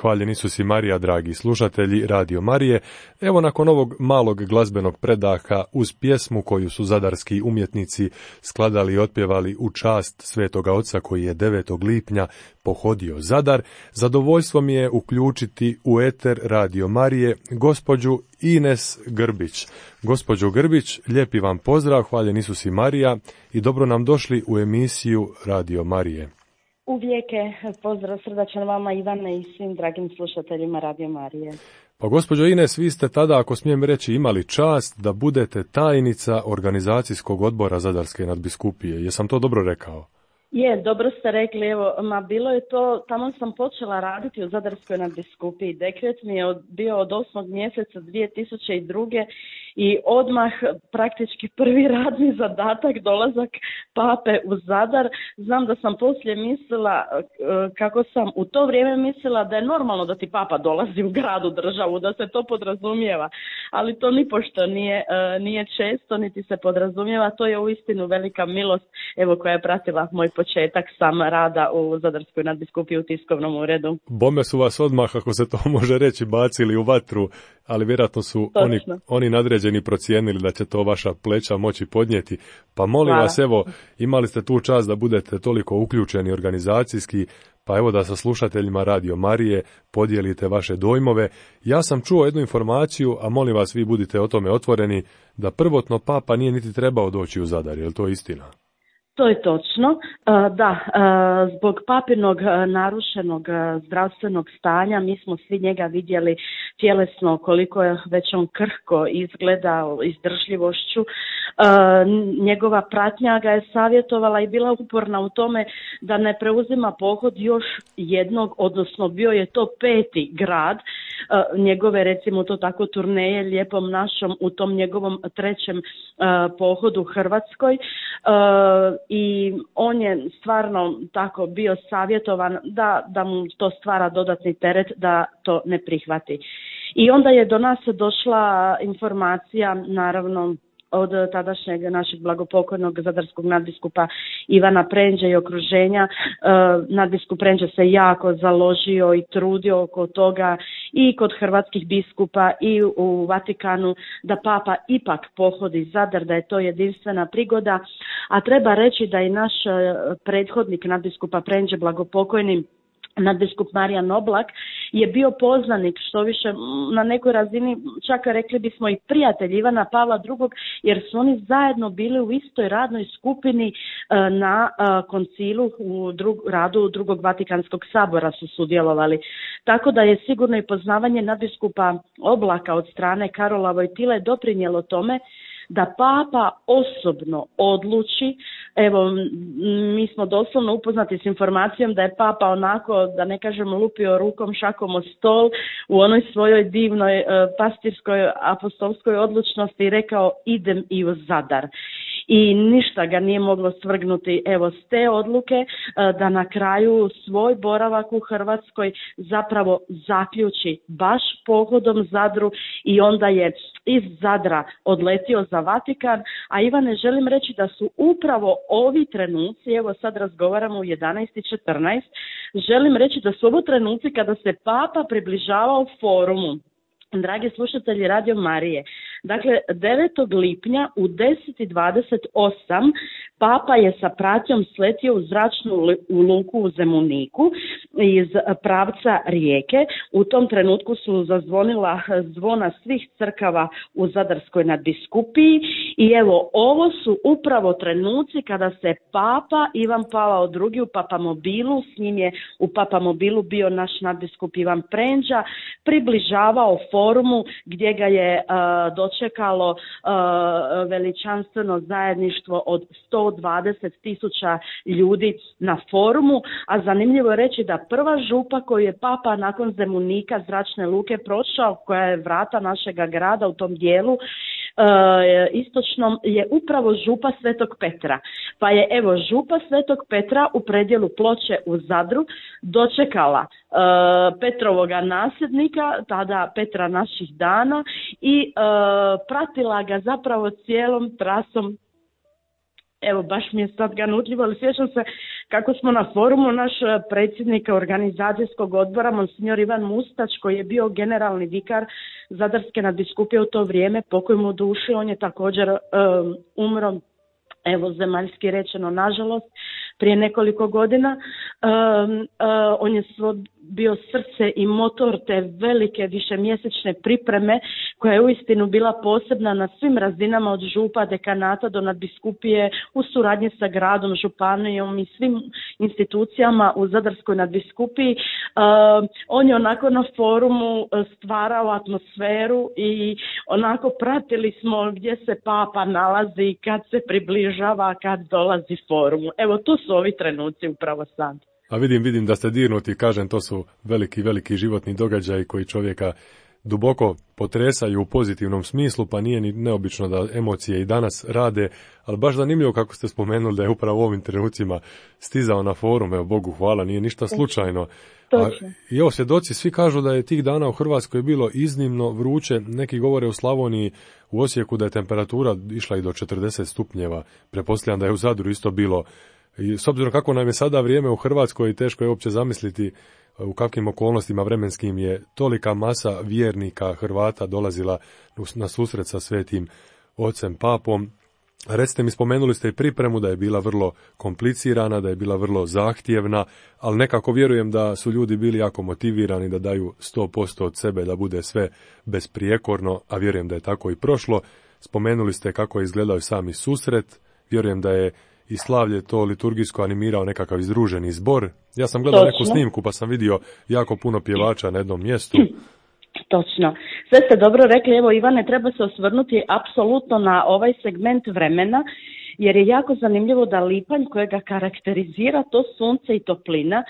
Speaker 1: Hvaljen Isus i Marija, dragi slušatelji Radio Marije. Evo nakon ovog malog glazbenog predaha uz pjesmu koju su zadarski umjetnici skladali i otpjevali u čast Svetoga Oca koji je 9. lipnja pohodio Zadar, zadovoljstvo mi je uključiti u eter Radio Marije gospođu Ines Grbić. Gospođo Grbić, lijepi vam pozdrav, hvaljen Isus i Marija i dobro nam došli u emisiju Radio Marije.
Speaker 8: Uvijek je pozdrav srdačan vama, Ivane, i svim dragim slušateljima Radio Marije.
Speaker 1: Pa gospođo Ines, vi ste tada, ako smijem reći, imali čast da budete tajnica organizacijskog odbora Zadarske nadbiskupije. Jesam to dobro rekao?
Speaker 8: Je, dobro ste rekli, evo, bilo je to, tamo sam počela raditi u Zadarskoj nadbiskupiji. Dekret mi je bio od 8. mjeseca 2002. i odmah praktički prvi radni zadatak dolazak pape u Zadar. Znam da sam poslije mislila, kako sam u to vrijeme mislila da je normalno da ti papa dolazi u grad, u državu, da se to podrazumijeva, ali to nipošto nije često, niti se podrazumijeva. To je uistinu velika milost, evo, koja je pratila moj početak sam rada u Zadarskoj nadbiskupiji u tiskovnom uredu.
Speaker 1: Bome su vas odmah, ako se to može reći, bacili u vatru, ali vjerojatno su oni nadređeni procijenili da će to vaša pleća moći podnijeti. Pa molim vas, evo, imali ste tu čast da budete toliko uključeni organizacijski, pa evo da sa slušateljima Radio Marije podijelite vaše dojmove. Ja sam čuo jednu informaciju, a molim vas, vi budite o tome otvoreni, da prvotno papa nije niti trebao doći u Zadar. Je li to istina?
Speaker 8: To je točno. Da, zbog papinog narušenog zdravstvenog stanja mi smo svi njega vidjeli tjelesno koliko je već on krhko izgleda izdržljivošću. Njegova pratnja ga je savjetovala i bila uporna u tome da ne preuzima pohod još jednog, odnosno bio je to 5. grad njegove, recimo to tako, turneje Lijepom našom u tom njegovom 3. pohodu Hrvatskoj. I on je stvarno tako bio savjetovan da mu to stvara dodatni teret da to ne prihvati. I onda je do nas došla informacija, naravno, od tadašnjeg našeg blagopokojnog zadarskog nadbiskupa Ivana Prendže i okruženja. Nadbiskup Prendže se jako založio i trudio oko toga i kod hrvatskih biskupa i u Vatikanu da papa ipak pohodi Zadar, da je to jedinstvena prigoda. A treba reći da i naš prethodnik nadbiskupa Prendže, blagopokojni nadbiskup Marijan Oblak, je bio poznanik, što više na nekoj razini, čak rekli bismo i prijatelj Ivana Pavla II, jer su oni zajedno bili u istoj radnoj skupini na koncilu u radu drugog Vatikanskog sabora su sudjelovali. Tako da je sigurno i poznavanje nadbiskupa Oblaka od strane Karola Vojtile doprinijelo tome da papa osobno odluči. Evo, mi smo doslovno upoznati s informacijom da je papa onako, da ne kažem, lupio rukom šakom o stol u onoj svojoj divnoj pastirskoj apostolskoj odlučnosti i rekao idem i u Zadar. I ništa ga nije moglo svrgnuti, evo, s te odluke da na kraju svoj boravak u Hrvatskoj zapravo zaključi baš pohodom Zadru i onda je iz Zadra odletio za Vatikan. A Ivane, želim reći da su upravo ovi trenuci, evo sad razgovaramo u 11:14, želim reći da su ovo trenuci kada se papa približavao forumu. Dragi slušatelji Radio Marije, dakle 9. lipnja u 10:28 papa je sa pratnjom sletio u zračnu luku u Zemuniku iz pravca Rijeke. U tom trenutku su zazvonila zvona svih crkava u Zadarskoj nadbiskupiji i evo, ovo su upravo trenuci kada se papa Ivan Pavao II u papamobilu, s njim je u papamobilu bio naš nadbiskup Ivan Prendža, približavao forumu gdje ga je dočekalo veličanstveno zajedništvo od 120.000 ljudi na forumu, a zanimljivo je reći da prva župa koju je papa nakon Zemunika zračne luke prošao, koja je vrata našega grada u tom dijelu istočnom, je upravo župa Svetog Petra. Pa je evo župa Svetog Petra u predjelu Ploče u Zadru dočekala Petrovoga nasljednika, tada Petra naših dana, i pratila ga zapravo cijelom trasom evo baš mi je sad ganutljivo, ali sjećam se kako smo na forumu naš predsjednik organizacijskog odbora, monsignor Ivan Mustač, koji je bio generalni vikar Zadarske nadbiskupije u to vrijeme, pokoj mu duši, on je također umro, evo zemaljski rečeno nažalost, prije nekoliko godina. On je bio srce i motor te velike višemjesečne pripreme koja je uistinu bila posebna na svim razinama od župa, dekanata do nadbiskupije u suradnji sa gradom, županijom i svim institucijama u Zadarskoj nadbiskupiji. On je onako na forumu stvarao atmosferu i onako pratili smo gdje se papa nalazi, kad se približava, kad dolazi forumu. Evo tu su ovi trenuci upravo sad.
Speaker 1: A vidim da ste dirnuti, kažem, to su veliki životni događaji koji čovjeka duboko potresaju u pozitivnom smislu, pa nije ni neobično da emocije i danas rade, ali baš zanimljivo kako ste spomenuli da je upravo u ovim trenucima stizao na forum, evo Bogu hvala, nije ništa slučajno. I evo, svjedoci svi kažu da je tih dana u Hrvatskoj bilo iznimno vruće, neki govore u Slavoniji, u Osijeku da je temperatura išla i do 40 stupnjeva, pretpostavljam da je u Zadru isto bilo. I s obzirom kako nam je sada vrijeme u Hrvatskoj, teško je uopće zamisliti u kakvim okolnostima vremenskim je tolika masa vjernika Hrvata dolazila na susret sa svetim ocem papom. Recite mi, spomenuli ste i pripremu da je bila vrlo komplicirana, da je bila vrlo zahtjevna, ali nekako vjerujem da su ljudi bili jako motivirani da daju 100% od sebe, da bude sve besprijekorno, a vjerujem da je tako i prošlo. Spomenuli ste kako je izgledao sami susret, vjerujem da je i slavlje to liturgijsko animirao nekakav izdruženi zbor. Ja sam gledao neku snimku pa sam vidio jako puno pjevača na jednom mjestu.
Speaker 8: Točno. Sve ste dobro rekli, evo Ivane, treba se osvrnuti apsolutno na ovaj segment vremena, jer je jako zanimljivo da lipanj kojega karakterizira to sunce i toplina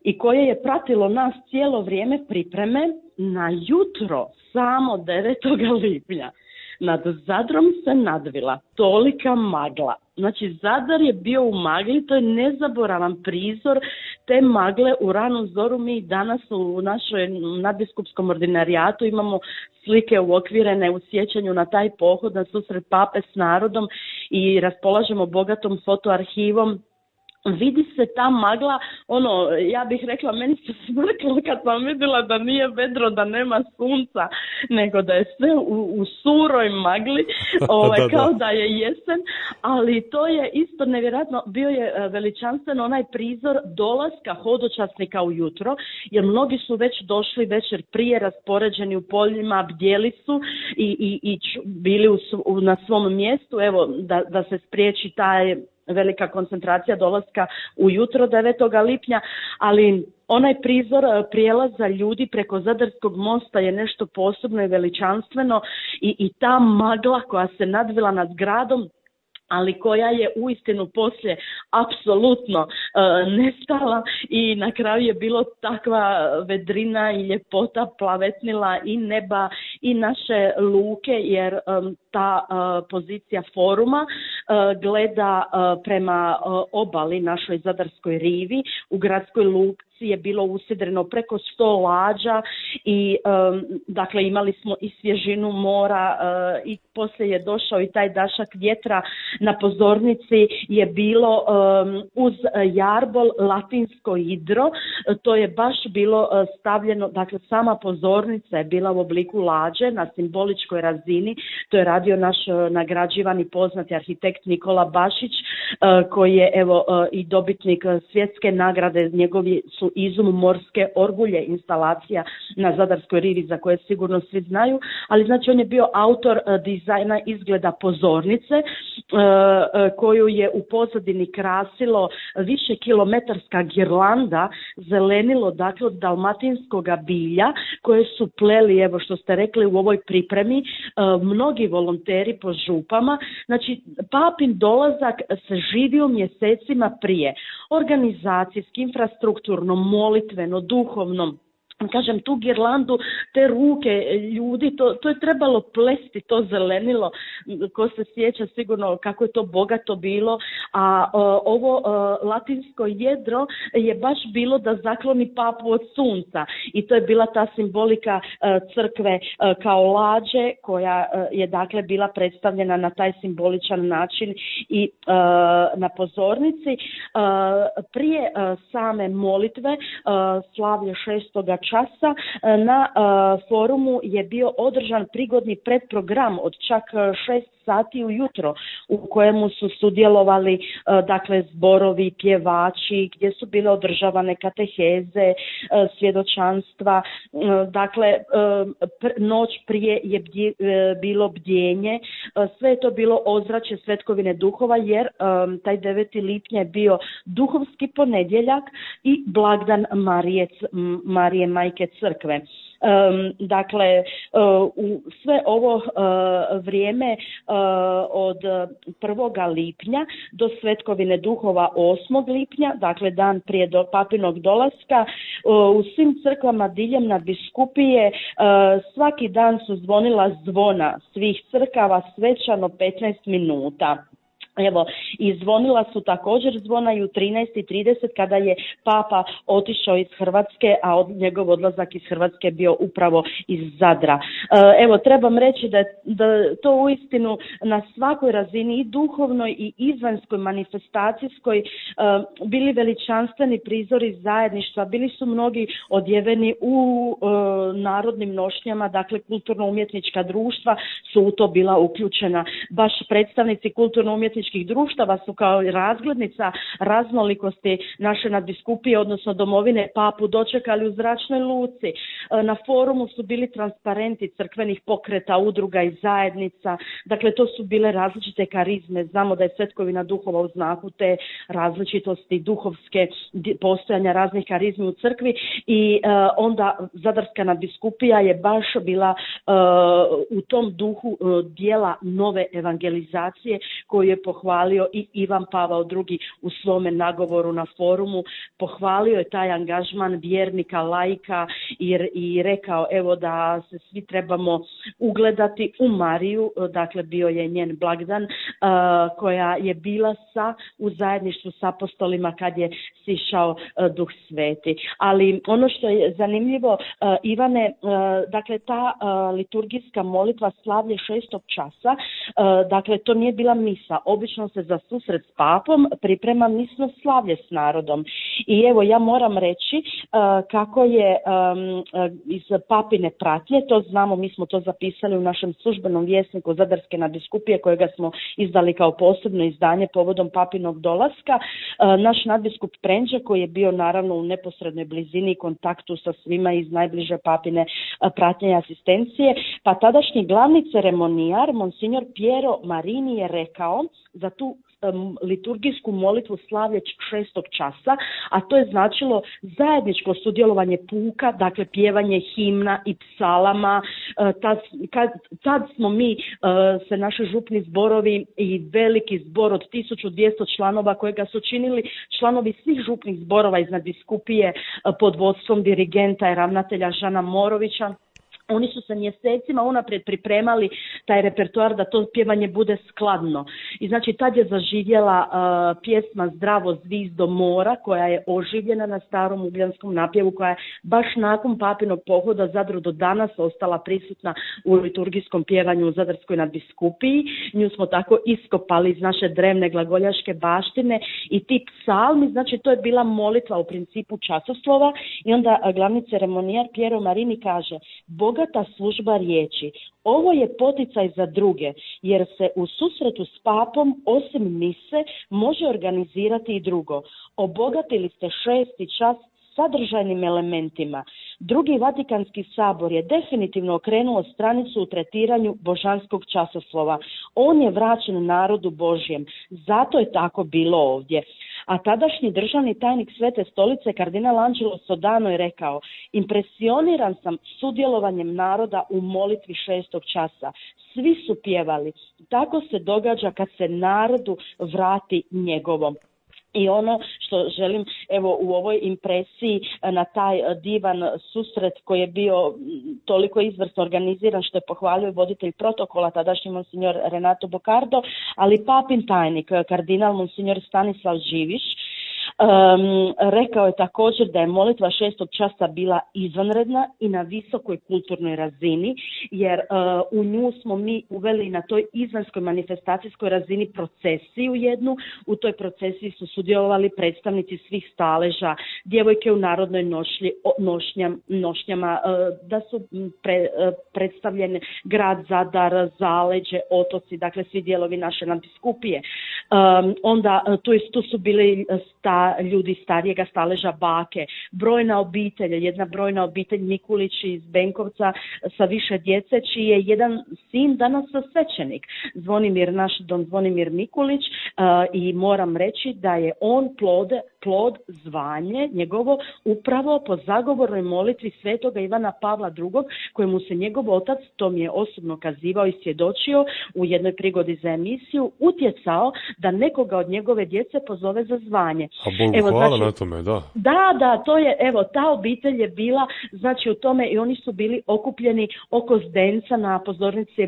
Speaker 8: i koje je pratilo nas cijelo vrijeme pripreme, na jutro samo 9. lipnja nad Zadrom se nadvila tolika magla. Znači, Zadar je bio u magli, to je nezaboravan prizor te magle u ranu zoru. Mi danas u našoj nadbiskupskom ordinarijatu imamo slike uokvirene u sjećanju na taj pohod, na susret pape s narodom i raspolažemo bogatom fotoarhivom. Vidi se ta magla, ja bih rekla, meni se smrklo kad sam vidjela da nije vedro, da nema sunca, nego da je sve u suroj magli, kao da je jesen, ali to je isto nevjerojatno, bio je veličanstven onaj prizor dolaska hodočasnika ujutro, jer mnogi su već došli večer prije, raspoređeni u poljima, bdjeli su i bili na svom mjestu, evo, da se spriječi taj velika koncentracija dolaska ujutro 9. lipnja, ali onaj prizor prijelaza ljudi preko Zadarskog mosta je nešto posebno i veličanstveno i ta magla koja se nadvila nad gradom, ali koja je uistinu poslije apsolutno nestala i na kraju je bilo takva vedrina i ljepota plavetnila i neba i naše luke, jer ta pozicija foruma gleda prema obali našoj Zadarskoj rivi. U gradskoj luci je bilo usidreno preko 100 lađa i dakle imali smo i svježinu mora i poslije je došao i taj dašak vjetra. Na pozornici je bilo uz jarbol latinsko idro, to je baš bilo stavljeno, dakle sama pozornica je bila u obliku lađe na simboličkoj razini, to je radio naš nagrađivani poznati arhitekt Nikola Bašić, koji je evo i dobitnik svjetske nagrade, njegovi su izum morske orgulje instalacija na Zadarskoj rivi za koje sigurno svi znaju, ali znači on je bio autor dizajna izgleda pozornice koju je u pozadini krasilo više kilometarska girlanda zelenilo, dakle od dalmatinskoga bilja koje su pleli, evo što ste rekli u ovoj pripremi, mnogi volonteri po župama. Znači papin dolazak se živio mjesecima prije, organizacijski, infrastrukturno, molitveno, duhovno. kažem, tu girlandu, te ruke ljudi, to je trebalo plesti, to zelenilo, ko se sjeća sigurno kako je to bogato bilo, a ovo latinsko jedro je baš bilo da zakloni papu od sunca i to je bila ta simbolika crkve kao lađe koja je dakle bila predstavljena na taj simboličan način i na pozornici. Prije same molitve, slavlje 6. časa, na forumu je bio održan prigodni predprogram od čak 6 sati ujutro u kojemu su sudjelovali dakle zborovi, pjevači, gdje su bile održavane kateheze, svjedočanstva. Dakle, noć prije je bilo bdjenje. Sve je to bilo ozračje Svetkovine duhova jer taj 9. lipnja je bio duhovski ponedjeljak i blagdan Marije Majke Crkve. Dakle, u sve ovo vrijeme od 1. lipnja do Svetkovine duhova 8. lipnja, dakle dan prije do papinog dolaska, u svim crkvama diljem nadbiskupije svaki dan su zvonila zvona svih crkava svečano 15 minuta. Evo, i zvonila su također zvona i u 13:30 kada je Papa otišao iz Hrvatske, a njegov odlazak iz Hrvatske bio upravo iz Zadra. Evo, trebam reći da to uistinu na svakoj razini i duhovnoj i izvanjskoj manifestacijskoj bili veličanstveni prizori zajedništva, bili su mnogi odjeveni u narodnim nošnjama, dakle kulturno-umjetnička društva su u to bila uključena. Baš predstavnici kulturno-umjetničkih društava su kao razglednica raznolikosti naše nadbiskupije, odnosno domovine Papu dočekali u zračnoj luci. Na forumu su bili transparenti crkvenih pokreta, udruga i zajednica. Dakle, to su bile različite karizme. Znamo da je Svetkovina duhova u znaku te različitosti duhovske postojanja raznih karizmi u crkvi i onda Zadarska nadbiskupija je baš bila u tom duhu dijela nove evangelizacije koju je pohvalio i Ivan Pavao II u svome nagovoru na forumu. Pohvalio je taj angažman vjernika, laika i rekao evo da se svi trebamo ugledati u Mariju, dakle bio je njen blagdan koja je bila u zajedništvu s apostolima kad je sišao Duh Sveti. Ali ono što je zanimljivo, Ivane, dakle ta liturgijska molitva slavlje 6. časa, dakle to nije bila misa. Obično se za susret s papom priprema misno slavlje s narodom. I evo ja moram reći kako je iz papine pratnje, to znamo, mi smo to zapisali u našem službenom vjesniku Zadarske nadbiskupije kojega smo izdali kao posebno izdanje povodom papinog dolaska. Naš nadbiskup Prenđa koji je bio naravno u neposrednoj blizini i kontaktu sa svima iz najbliže papine pratnje i asistencije, pa tadašnji glavni ceremonijar, monsignor Piero Marini je rekao za tu liturgijsku molitvu slavlje 6. časa, a to je značilo zajedničko sudjelovanje puka, dakle pjevanje himna i psalama. Tad smo mi, se naši župni zborovi i veliki zbor od 1200 članova kojega su činili članovi svih župnih zborova iz nadbiskupije pod vodstvom dirigenta i ravnatelja Žana Morovića. Oni su se mjesecima unaprijed pripremali taj repertoar da to pjevanje bude skladno. I znači tad je zaživjela pjesma Zdravo zvizdo mora koja je oživljena na starom ugljanskom napjevu, koja je baš nakon papinog pohoda Zadru do danas ostala prisutna u liturgijskom pjevanju u Zadarskoj nadbiskupiji. Nju smo tako iskopali iz naše drevne glagoljaške baštine i ti psalmi, znači to je bila molitva u principu časoslova i onda glavni ceremonijar Piero Marini kaže: bogata služba riječi. Ovo je poticaj za druge, jer se u susretu s papom, osim mise, može organizirati i drugo. Obogatili ste 6. čas sadržajnim elementima. Drugi Vatikanski sabor je definitivno okrenuo stranicu u tretiranju božanskog časoslova. On je vraćen narodu Božjem. Zato je tako bilo ovdje. A tadašnji državni tajnik Svete stolice, kardinal Angelo Sodano, je rekao: impresioniran sam sudjelovanjem naroda u molitvi 6. časa. Svi su pjevali. Tako se događa kad se narodu vrati njegovom. I ono što želim evo u ovoj impresiji na taj divan susret koji je bio toliko izvrsno organiziran što je pohvalio voditelj protokola tadašnji monsignor Renato Bocardo, ali papin tajnik kardinal monsignor Stanislav Živiš rekao je također da je molitva 6. časa bila izvanredna i na visokoj kulturnoj razini, jer u nju smo mi uveli na toj izvanjskoj manifestacijskoj razini procesiju jednu. U toj procesiji su sudjelovali predstavnici svih staleža, djevojke u narodnoj nošnjama, da su predstavljene grad Zadar, zaleđe, otoci, dakle svi dijelovi naše nadbiskupije. Onda tu su bili ljudi starijega staleža, bake, brojna obitelj, jedna brojna obitelj Mikulić iz Benkovca sa više djece, čiji je jedan sin danas svećenik, naš don Zvonimir Mikulić, i moram reći da je on plod zvanje njegovo upravo po zagovornoj molitvi svetoga Ivana Pavla II, kojemu se njegov otac, to mi je osobno kazivao i svjedočio u jednoj prigodi za emisiju, utjecao da nekoga od njegove djece pozove za zvanje.
Speaker 1: A Bogu hvala na tome, da.
Speaker 8: Da, to je, evo, ta obitelj je bila, znači u tome, i oni su bili okupljeni oko zdenca, na pozornici je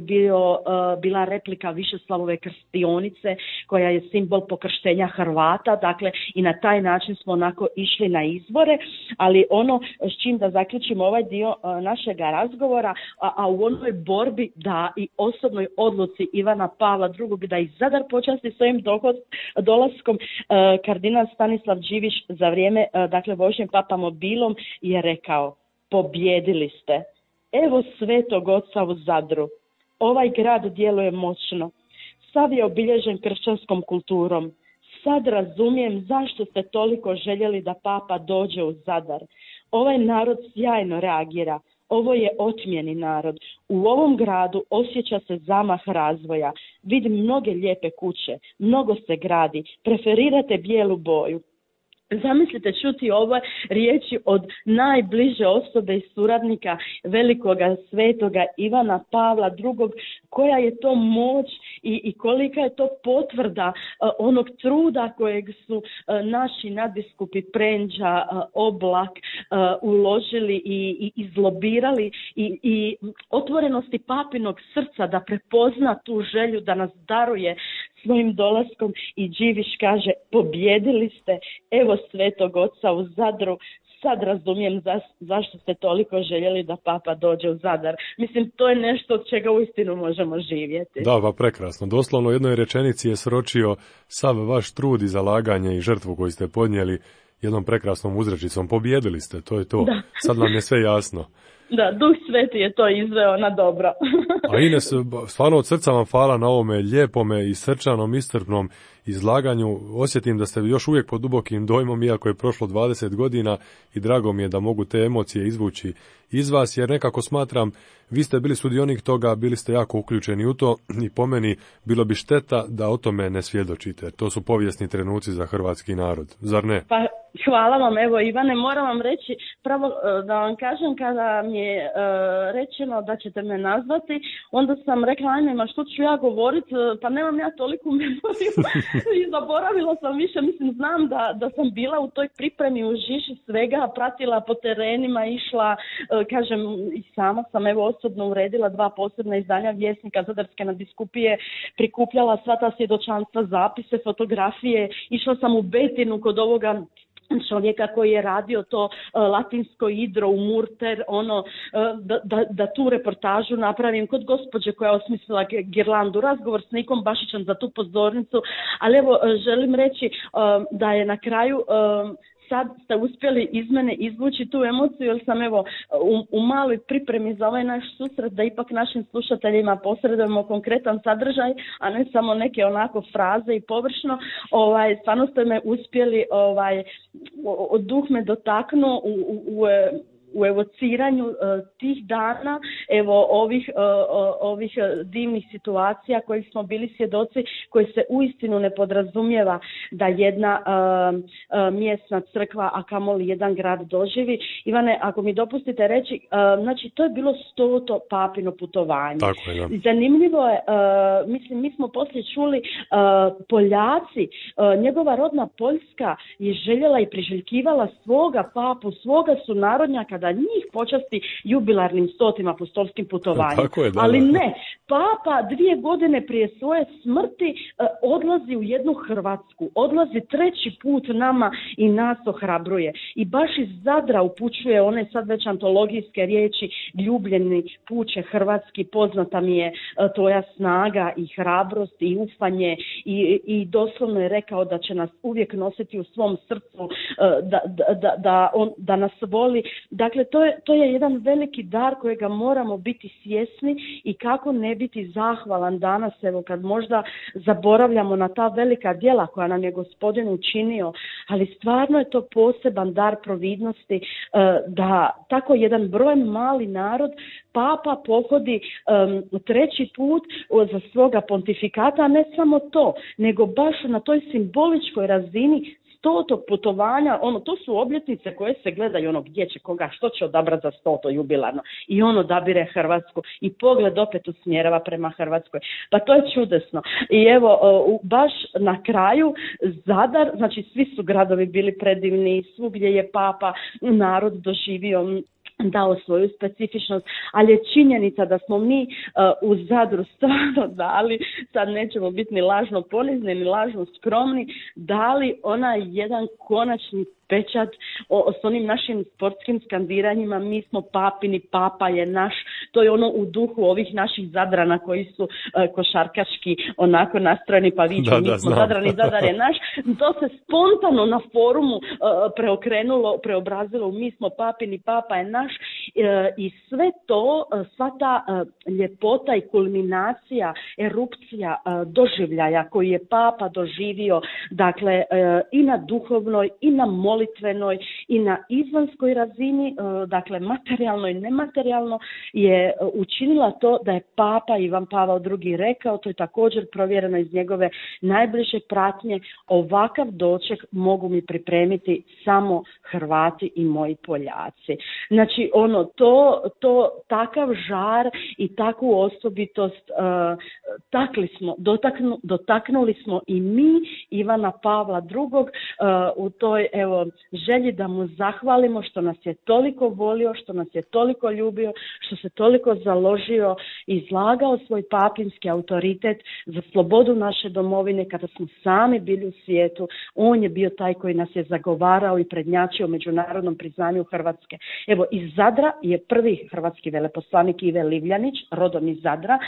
Speaker 8: bila replika Višeslavove krstionice, koja je simbol pokrštenja Hrvata, dakle i na taj način smo onako išli na izbore, ali ono s čim da zaključimo ovaj dio našega razgovora, a u onoj borbi da i osobnoj odluci Ivana Pavla II da i Zadar počasti svojim dolaskom, kardinal Stanislav Živiš za vrijeme, dakle, vožnje papamobilom je rekao: pobjedili ste. Evo svetog oca u Zadru. Ovaj grad djeluje moćno. Sav je obilježen kršćanskom kulturom. Sad razumijem zašto ste toliko željeli da papa dođe u Zadar. Ovaj narod sjajno reagira. Ovo je otmjeni narod. U ovom gradu osjeća se zamah razvoja. Vidim mnoge lijepe kuće, mnogo se gradi, preferirate bijelu boju. Zamislite čuti ove riječi od najbliže osobe i suradnika velikoga svetoga Ivana Pavla II, koja je to moć i kolika je to potvrda onog truda kojeg su naši nadbiskupi Prendža, Oblak uložili i izlobirali i otvorenosti papinog srca da prepozna tu želju da nas daruje svojim dolaskom. I Điviš kaže: pobjedili ste, evo svetog oca u Zadru, sad razumijem zašto ste toliko željeli da papa dođe u Zadar. Mislim, to je nešto od čega uistinu možemo živjeti.
Speaker 1: Da, pa prekrasno. Doslovno u jednoj rečenici je sročio sav vaš trud i zalaganje i žrtvu koju ste podnijeli jednom prekrasnom uzrečicom. Pobjedili ste, to je to. Da. Sad nam je sve jasno.
Speaker 8: Da, Duh Sveti je to izveo na dobro.
Speaker 1: A Ines, stvarno od srca vam hvala na ovome lijepome i srčanom, iscrpnom izlaganju. Osjetim da ste još uvijek pod dubokim dojmom, iako je prošlo 20 godina, i drago mi je da mogu te emocije izvući iz vas, jer nekako smatram, vi ste bili sudionik toga, bili ste jako uključeni u to i po meni bilo bi šteta da o tome ne svjedočite. To su povijesni trenuci za hrvatski narod, zar ne?
Speaker 8: Pa hvala vam, evo Ivane, moram vam reći, pravo da vam kažem, kada mi je rečeno da ćete me nazvati, onda sam rekla: ajme, ma što ću ja govoriti, pa nemam ja toliku memoriju i zaboravila sam više, mislim, znam da sam bila u toj pripremi u žiži svega, pratila po terenima, išla, kažem, i sama sam evo osobno uredila 2 posebna izdanja Vjesnika Zadarske nadbiskupije, prikupljala sva ta svjedočanstva, zapise, fotografije, išla sam u Betinu kod ovoga čovjeka koji je radio to latinsko idro u Murter, da tu reportažu napravim, kod gospođe koja je osmislila girlandu, razgovor s Nikom Bašićem za tu pozornicu, ali evo želim reći da je na kraju sad ste uspjeli iz mene izvući tu emociju, jer sam evo u maloj pripremi za ovaj naš susret da ipak našim slušateljima posredujemo konkretan sadržaj, a ne samo neke onako fraze i površno. Stvarno ste me uspjeli, duh me dotaknuo u evociranju tih dana, evo ovih divnih situacija kojih smo bili svjedoci, koji se uistinu ne podrazumijeva da jedna mjesna crkva, a kamoli jedan grad doživi. Ivane, ako mi dopustite reći, znači to je bilo 100. papino putovanje.
Speaker 1: Tako je, da.
Speaker 8: Zanimljivo je, mislim, mi smo poslije čuli Poljaci, njegova rodna Poljska je željela i priželjkivala svoga papu, svoga sunarodnjaka da njih počasti jubilarnim 100. apostolskim putovanjem.
Speaker 1: Tako je, da.
Speaker 8: Ali ne, papa 2 godine prije svoje smrti odlazi u jednu Hrvatsku, odlazi 3. put nama i nas ohrabruje. I baš iz Zadra upućuje one sad već antologijske riječi: ljubljeni puče hrvatski, poznata mi je tvoja snaga i hrabrost i ufanje, i doslovno je rekao da će nas uvijek nositi u svom srcu, da nas voli. Dakle, to je jedan veliki dar kojega moramo biti svjesni i kako ne biti zahvalan danas, evo kad možda zaboravljamo na ta velika djela koja nam je Gospodin učinio, ali stvarno je to poseban dar providnosti da tako jedan broj mali narod papa pohodi 3. put za svoga pontifikata, a ne samo to, nego baš na toj simboličkoj razini 100. putovanja, to su obljetnice koje se gledaju, gdje će koga, što će odabrati za 100. jubilarno. I on odabire Hrvatsku i pogled opet usmjerava prema Hrvatskoj. Pa to je čudesno. I evo, baš na kraju Zadar, znači svi su gradovi bili predivni, svugdje je papa narod doživio, dao svoju specifičnost, ali je činjenica da smo mi u Zadru stvarno dali, sad nećemo biti ni lažno ponizni, ni lažno skromni, dali onaj jedan konačni pečat s onim našim sportskim skandiranjima: mi smo papini, papa je naš. To je u duhu ovih naših Zadrana koji su košarkaški onako nastrojeni, pa viču mi smo Zadrani, Zadar je naš. To se spontano na forumu preobrazilo u mi smo papini, papa je naš. I sve to, sva ta ljepota i kulminacija, erupcija doživljaja koji je papa doživio, dakle i na duhovnoj i na molitvenoj i na izvanskoj razini, dakle materijalno i nematerijalno, je učinila to da je papa Ivan Pavao II rekao, to je također provjereno iz njegove najbliže pratnje: ovakav doček mogu mi pripremiti samo Hrvati i moji Poljaci. Znači takav žar i takvu osobitost dotaknuli smo i mi Ivana Pavla II u toj želji da mu zahvalimo što nas je toliko volio, što nas je toliko ljubio, što se toliko založio i izlagao svoj papinski autoritet za slobodu naše domovine kada smo sami bili u svijetu. On je bio taj koji nas je zagovarao i prednjačio međunarodnom priznanju Hrvatske. Evo, iz Zadra je prvi hrvatski veleposlanik Ive Livljanić, rodom iz Zadra,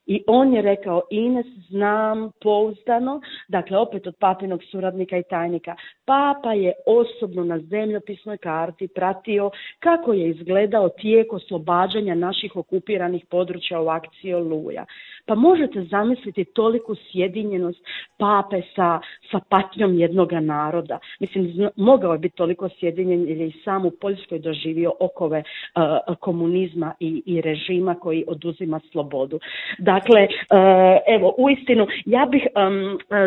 Speaker 8: i on je rekao: Ines, znam pouzdano, dakle opet od papinog suradnika i tajnika, papa je osobno na zemljopisnoj karti pratio kako je izgledao tijek oslobađanja naših okupiranih područja u akciji Oluja. Pa možete zamisliti toliku sjedinjenost pape sa patnjom jednoga naroda. Mislim, mogao je biti toliko sjedinjen jer je i sam u Poljskoj doživio okove komunizma i režima koji oduzima slobodu. Dakle, evo, uistinu, ja bih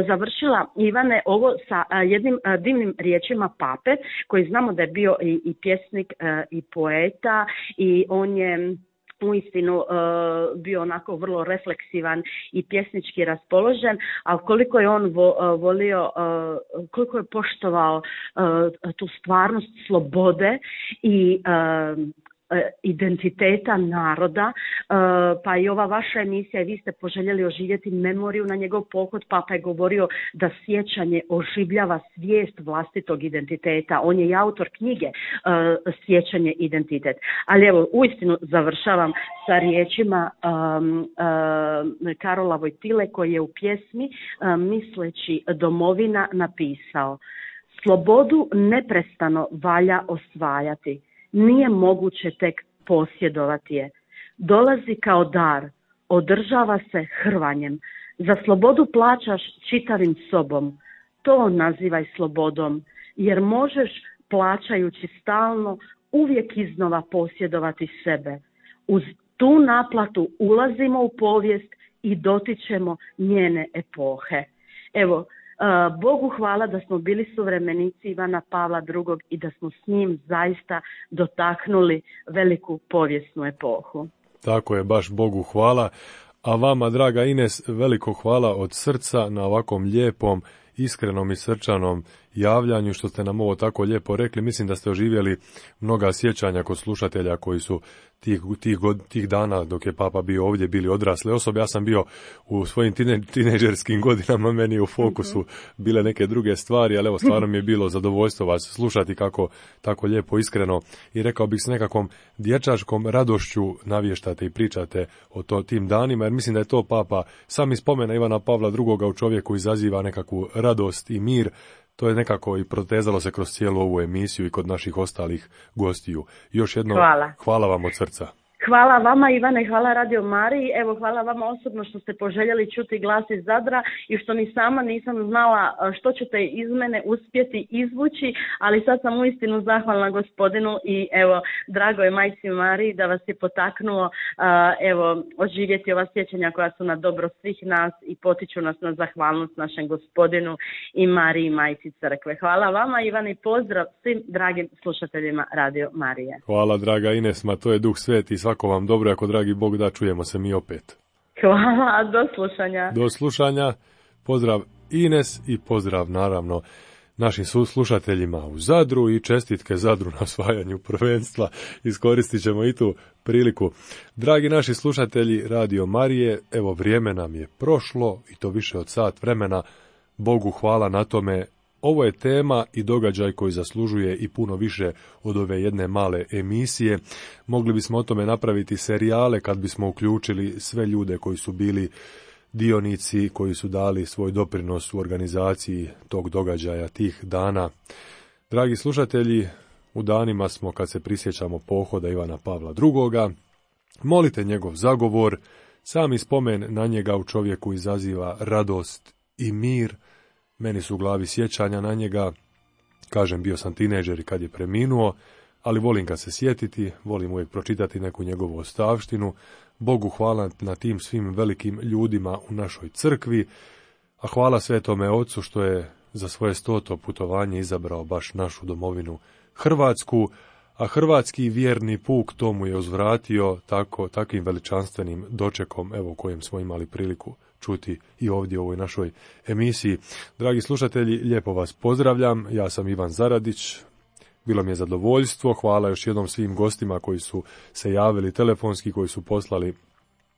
Speaker 8: završila, Ivane, ovo sa jednim divnim riječima pape, koji znamo da je bio i pjesnik i poeta, i on je uistinu bio onako vrlo refleksivan i pjesnički raspoložen, ali koliko je on volio, koliko je poštovao tu stvarnost slobode i identiteta naroda, pa i ova vaša emisija, i vi ste poželjeli oživjeti memoriju na njegov pohod. Papa je govorio da sjećanje oživljava svijest vlastitog identiteta. On je i autor knjige Sjećanje, identitet. Ali evo, uistinu završavam sa riječima Karola Vojtile, koji je u pjesmi Misleći domovina napisao: slobodu neprestano valja osvajati, nije moguće tek posjedovati je. Dolazi kao dar, održava se hrvanjem. Za slobodu plaćaš čitavim sobom. To nazivaj slobodom, jer možeš, plaćajući stalno, uvijek iznova posjedovati sebe. Uz tu naplatu ulazimo u povijest i dotičemo njene epohe. Evo, Bogu hvala da smo bili suvremenici Ivana Pavla II. I da smo s njim zaista dotaknuli veliku povijesnu epohu.
Speaker 1: Tako je, baš Bogu hvala. A vama, draga Ines, veliko hvala od srca na ovakvom lijepom, iskrenom i srčanom javljanju, što ste nam ovo tako lijepo rekli. Mislim da ste oživjeli mnoga sjećanja kod slušatelja koji su tih dana dok je Papa bio ovdje bili odrasle osobe. Ja sam bio u svojim tinejdžerskim godinama, meni u fokusu bile neke druge stvari, ali evo, stvarno mi je bilo zadovoljstvo vas slušati kako tako lijepo, iskreno i rekao bih s nekakvom dječačkom radošću navještate i pričate o tim danima, jer mislim da je to Papa sam iz spomena Ivana Pavla II. U čovjeku izaziva nekakvu radost i mir. To je nekako i protezalo se kroz cijelu ovu emisiju i kod naših ostalih gostiju. Još jednom hvala vam od srca.
Speaker 8: Hvala vama, Ivane, hvala Radio Mariji. Evo, hvala vama osobno što ste poželjeli čuti glas iz Zadra i što ni sama nisam znala što ćete iz mene uspjeti izvući, ali sad sam uistinu zahvalna gospodinu i evo, drago je Majci Mariji da vas je potaknulo evo, oživjeti ova sjećanja koja su na dobro svih nas i potiču nas na zahvalnost našem gospodinu i Mariji, Majci Crkve. Hvala vama, Ivane, i pozdrav svim dragim slušateljima Radio Marije.
Speaker 1: Hvala, draga Ines, ma to je Duh Sveti. Svako vam dobro, ako dragi Bog da, čujemo se mi opet.
Speaker 8: Hvala, do slušanja.
Speaker 1: Do slušanja, pozdrav Ines i pozdrav naravno našim slušateljima u Zadru i čestitke Zadru na osvajanju prvenstva. Iskoristit ćemo i tu priliku. Dragi naši slušatelji Radio Marije, evo vrijeme nam je prošlo i to više od sat vremena. Bogu hvala na tome. Ovo je tema i događaj koji zaslužuje i puno više od ove jedne male emisije. Mogli bismo o tome napraviti serijale kad bismo uključili sve ljude koji su bili dionici, koji su dali svoj doprinos u organizaciji tog događaja, tih dana. Dragi slušatelji, u danima smo kad se prisjećamo pohoda Ivana Pavla II. Molite njegov zagovor, sami spomen na njega u čovjeku izaziva radost i mir. Meni su u glavi sjećanja na njega, kažem, bio sam tinejdžer i kad je preminuo, ali volim ga se sjetiti, volim uvijek pročitati neku njegovu ostavštinu. Bogu hvala na tim svim velikim ljudima u našoj crkvi, a hvala Svetome Ocu što je za svoje 100. putovanje izabrao baš našu domovinu Hrvatsku, a hrvatski vjerni puk tomu je uzvratio takvim veličanstvenim dočekom, evo, kojem smo imali priliku čuti i ovdje u ovoj našoj emisiji. Dragi slušatelji, lijepo vas pozdravljam, ja sam Ivan Zaradić, bilo mi je zadovoljstvo, hvala još jednom svim gostima koji su se javili telefonski, koji su poslali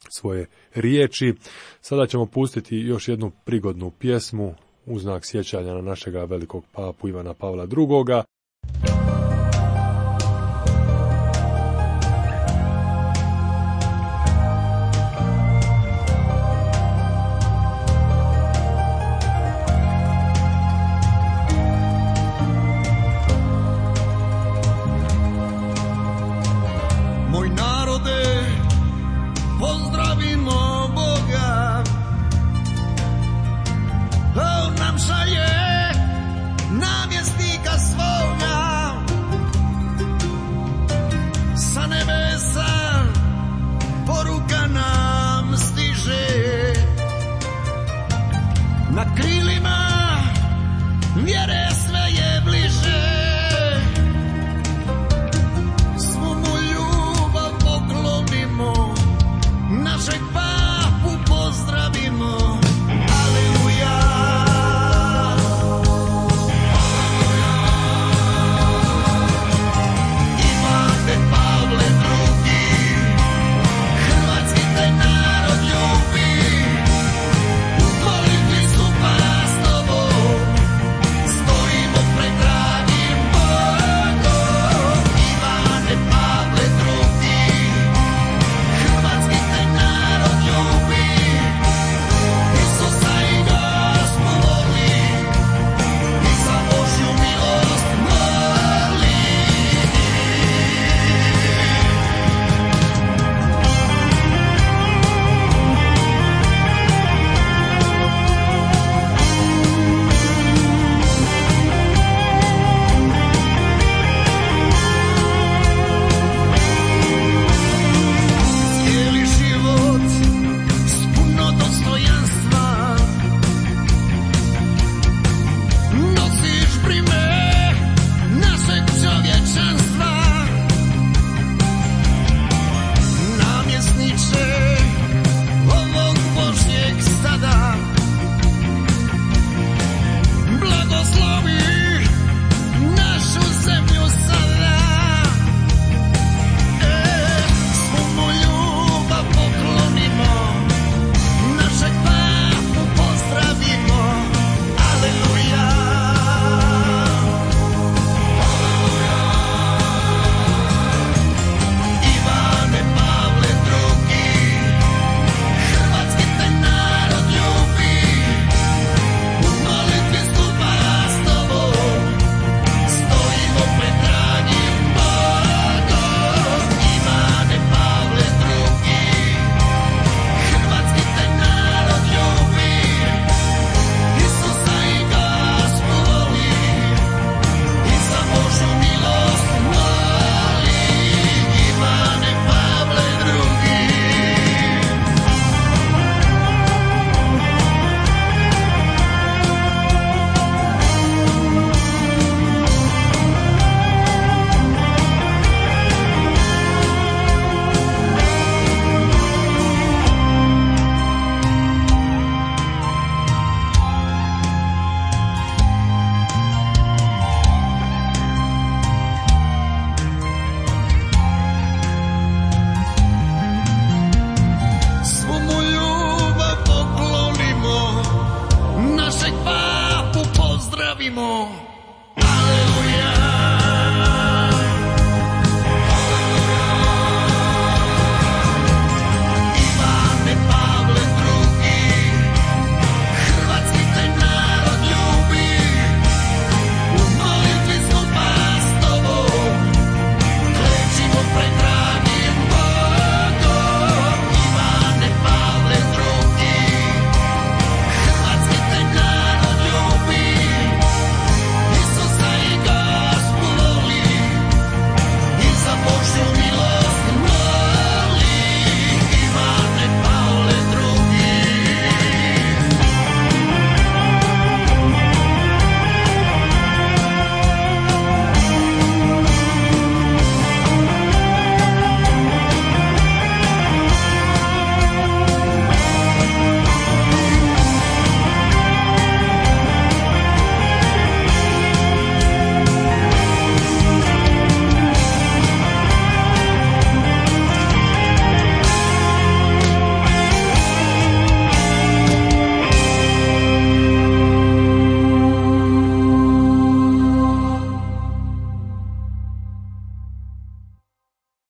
Speaker 1: svoje riječi. Sada ćemo pustiti još jednu prigodnu pjesmu u znak sjećanja na našega velikog papu Ivana Pavla II.
Speaker 7: Naš
Speaker 9: slavimo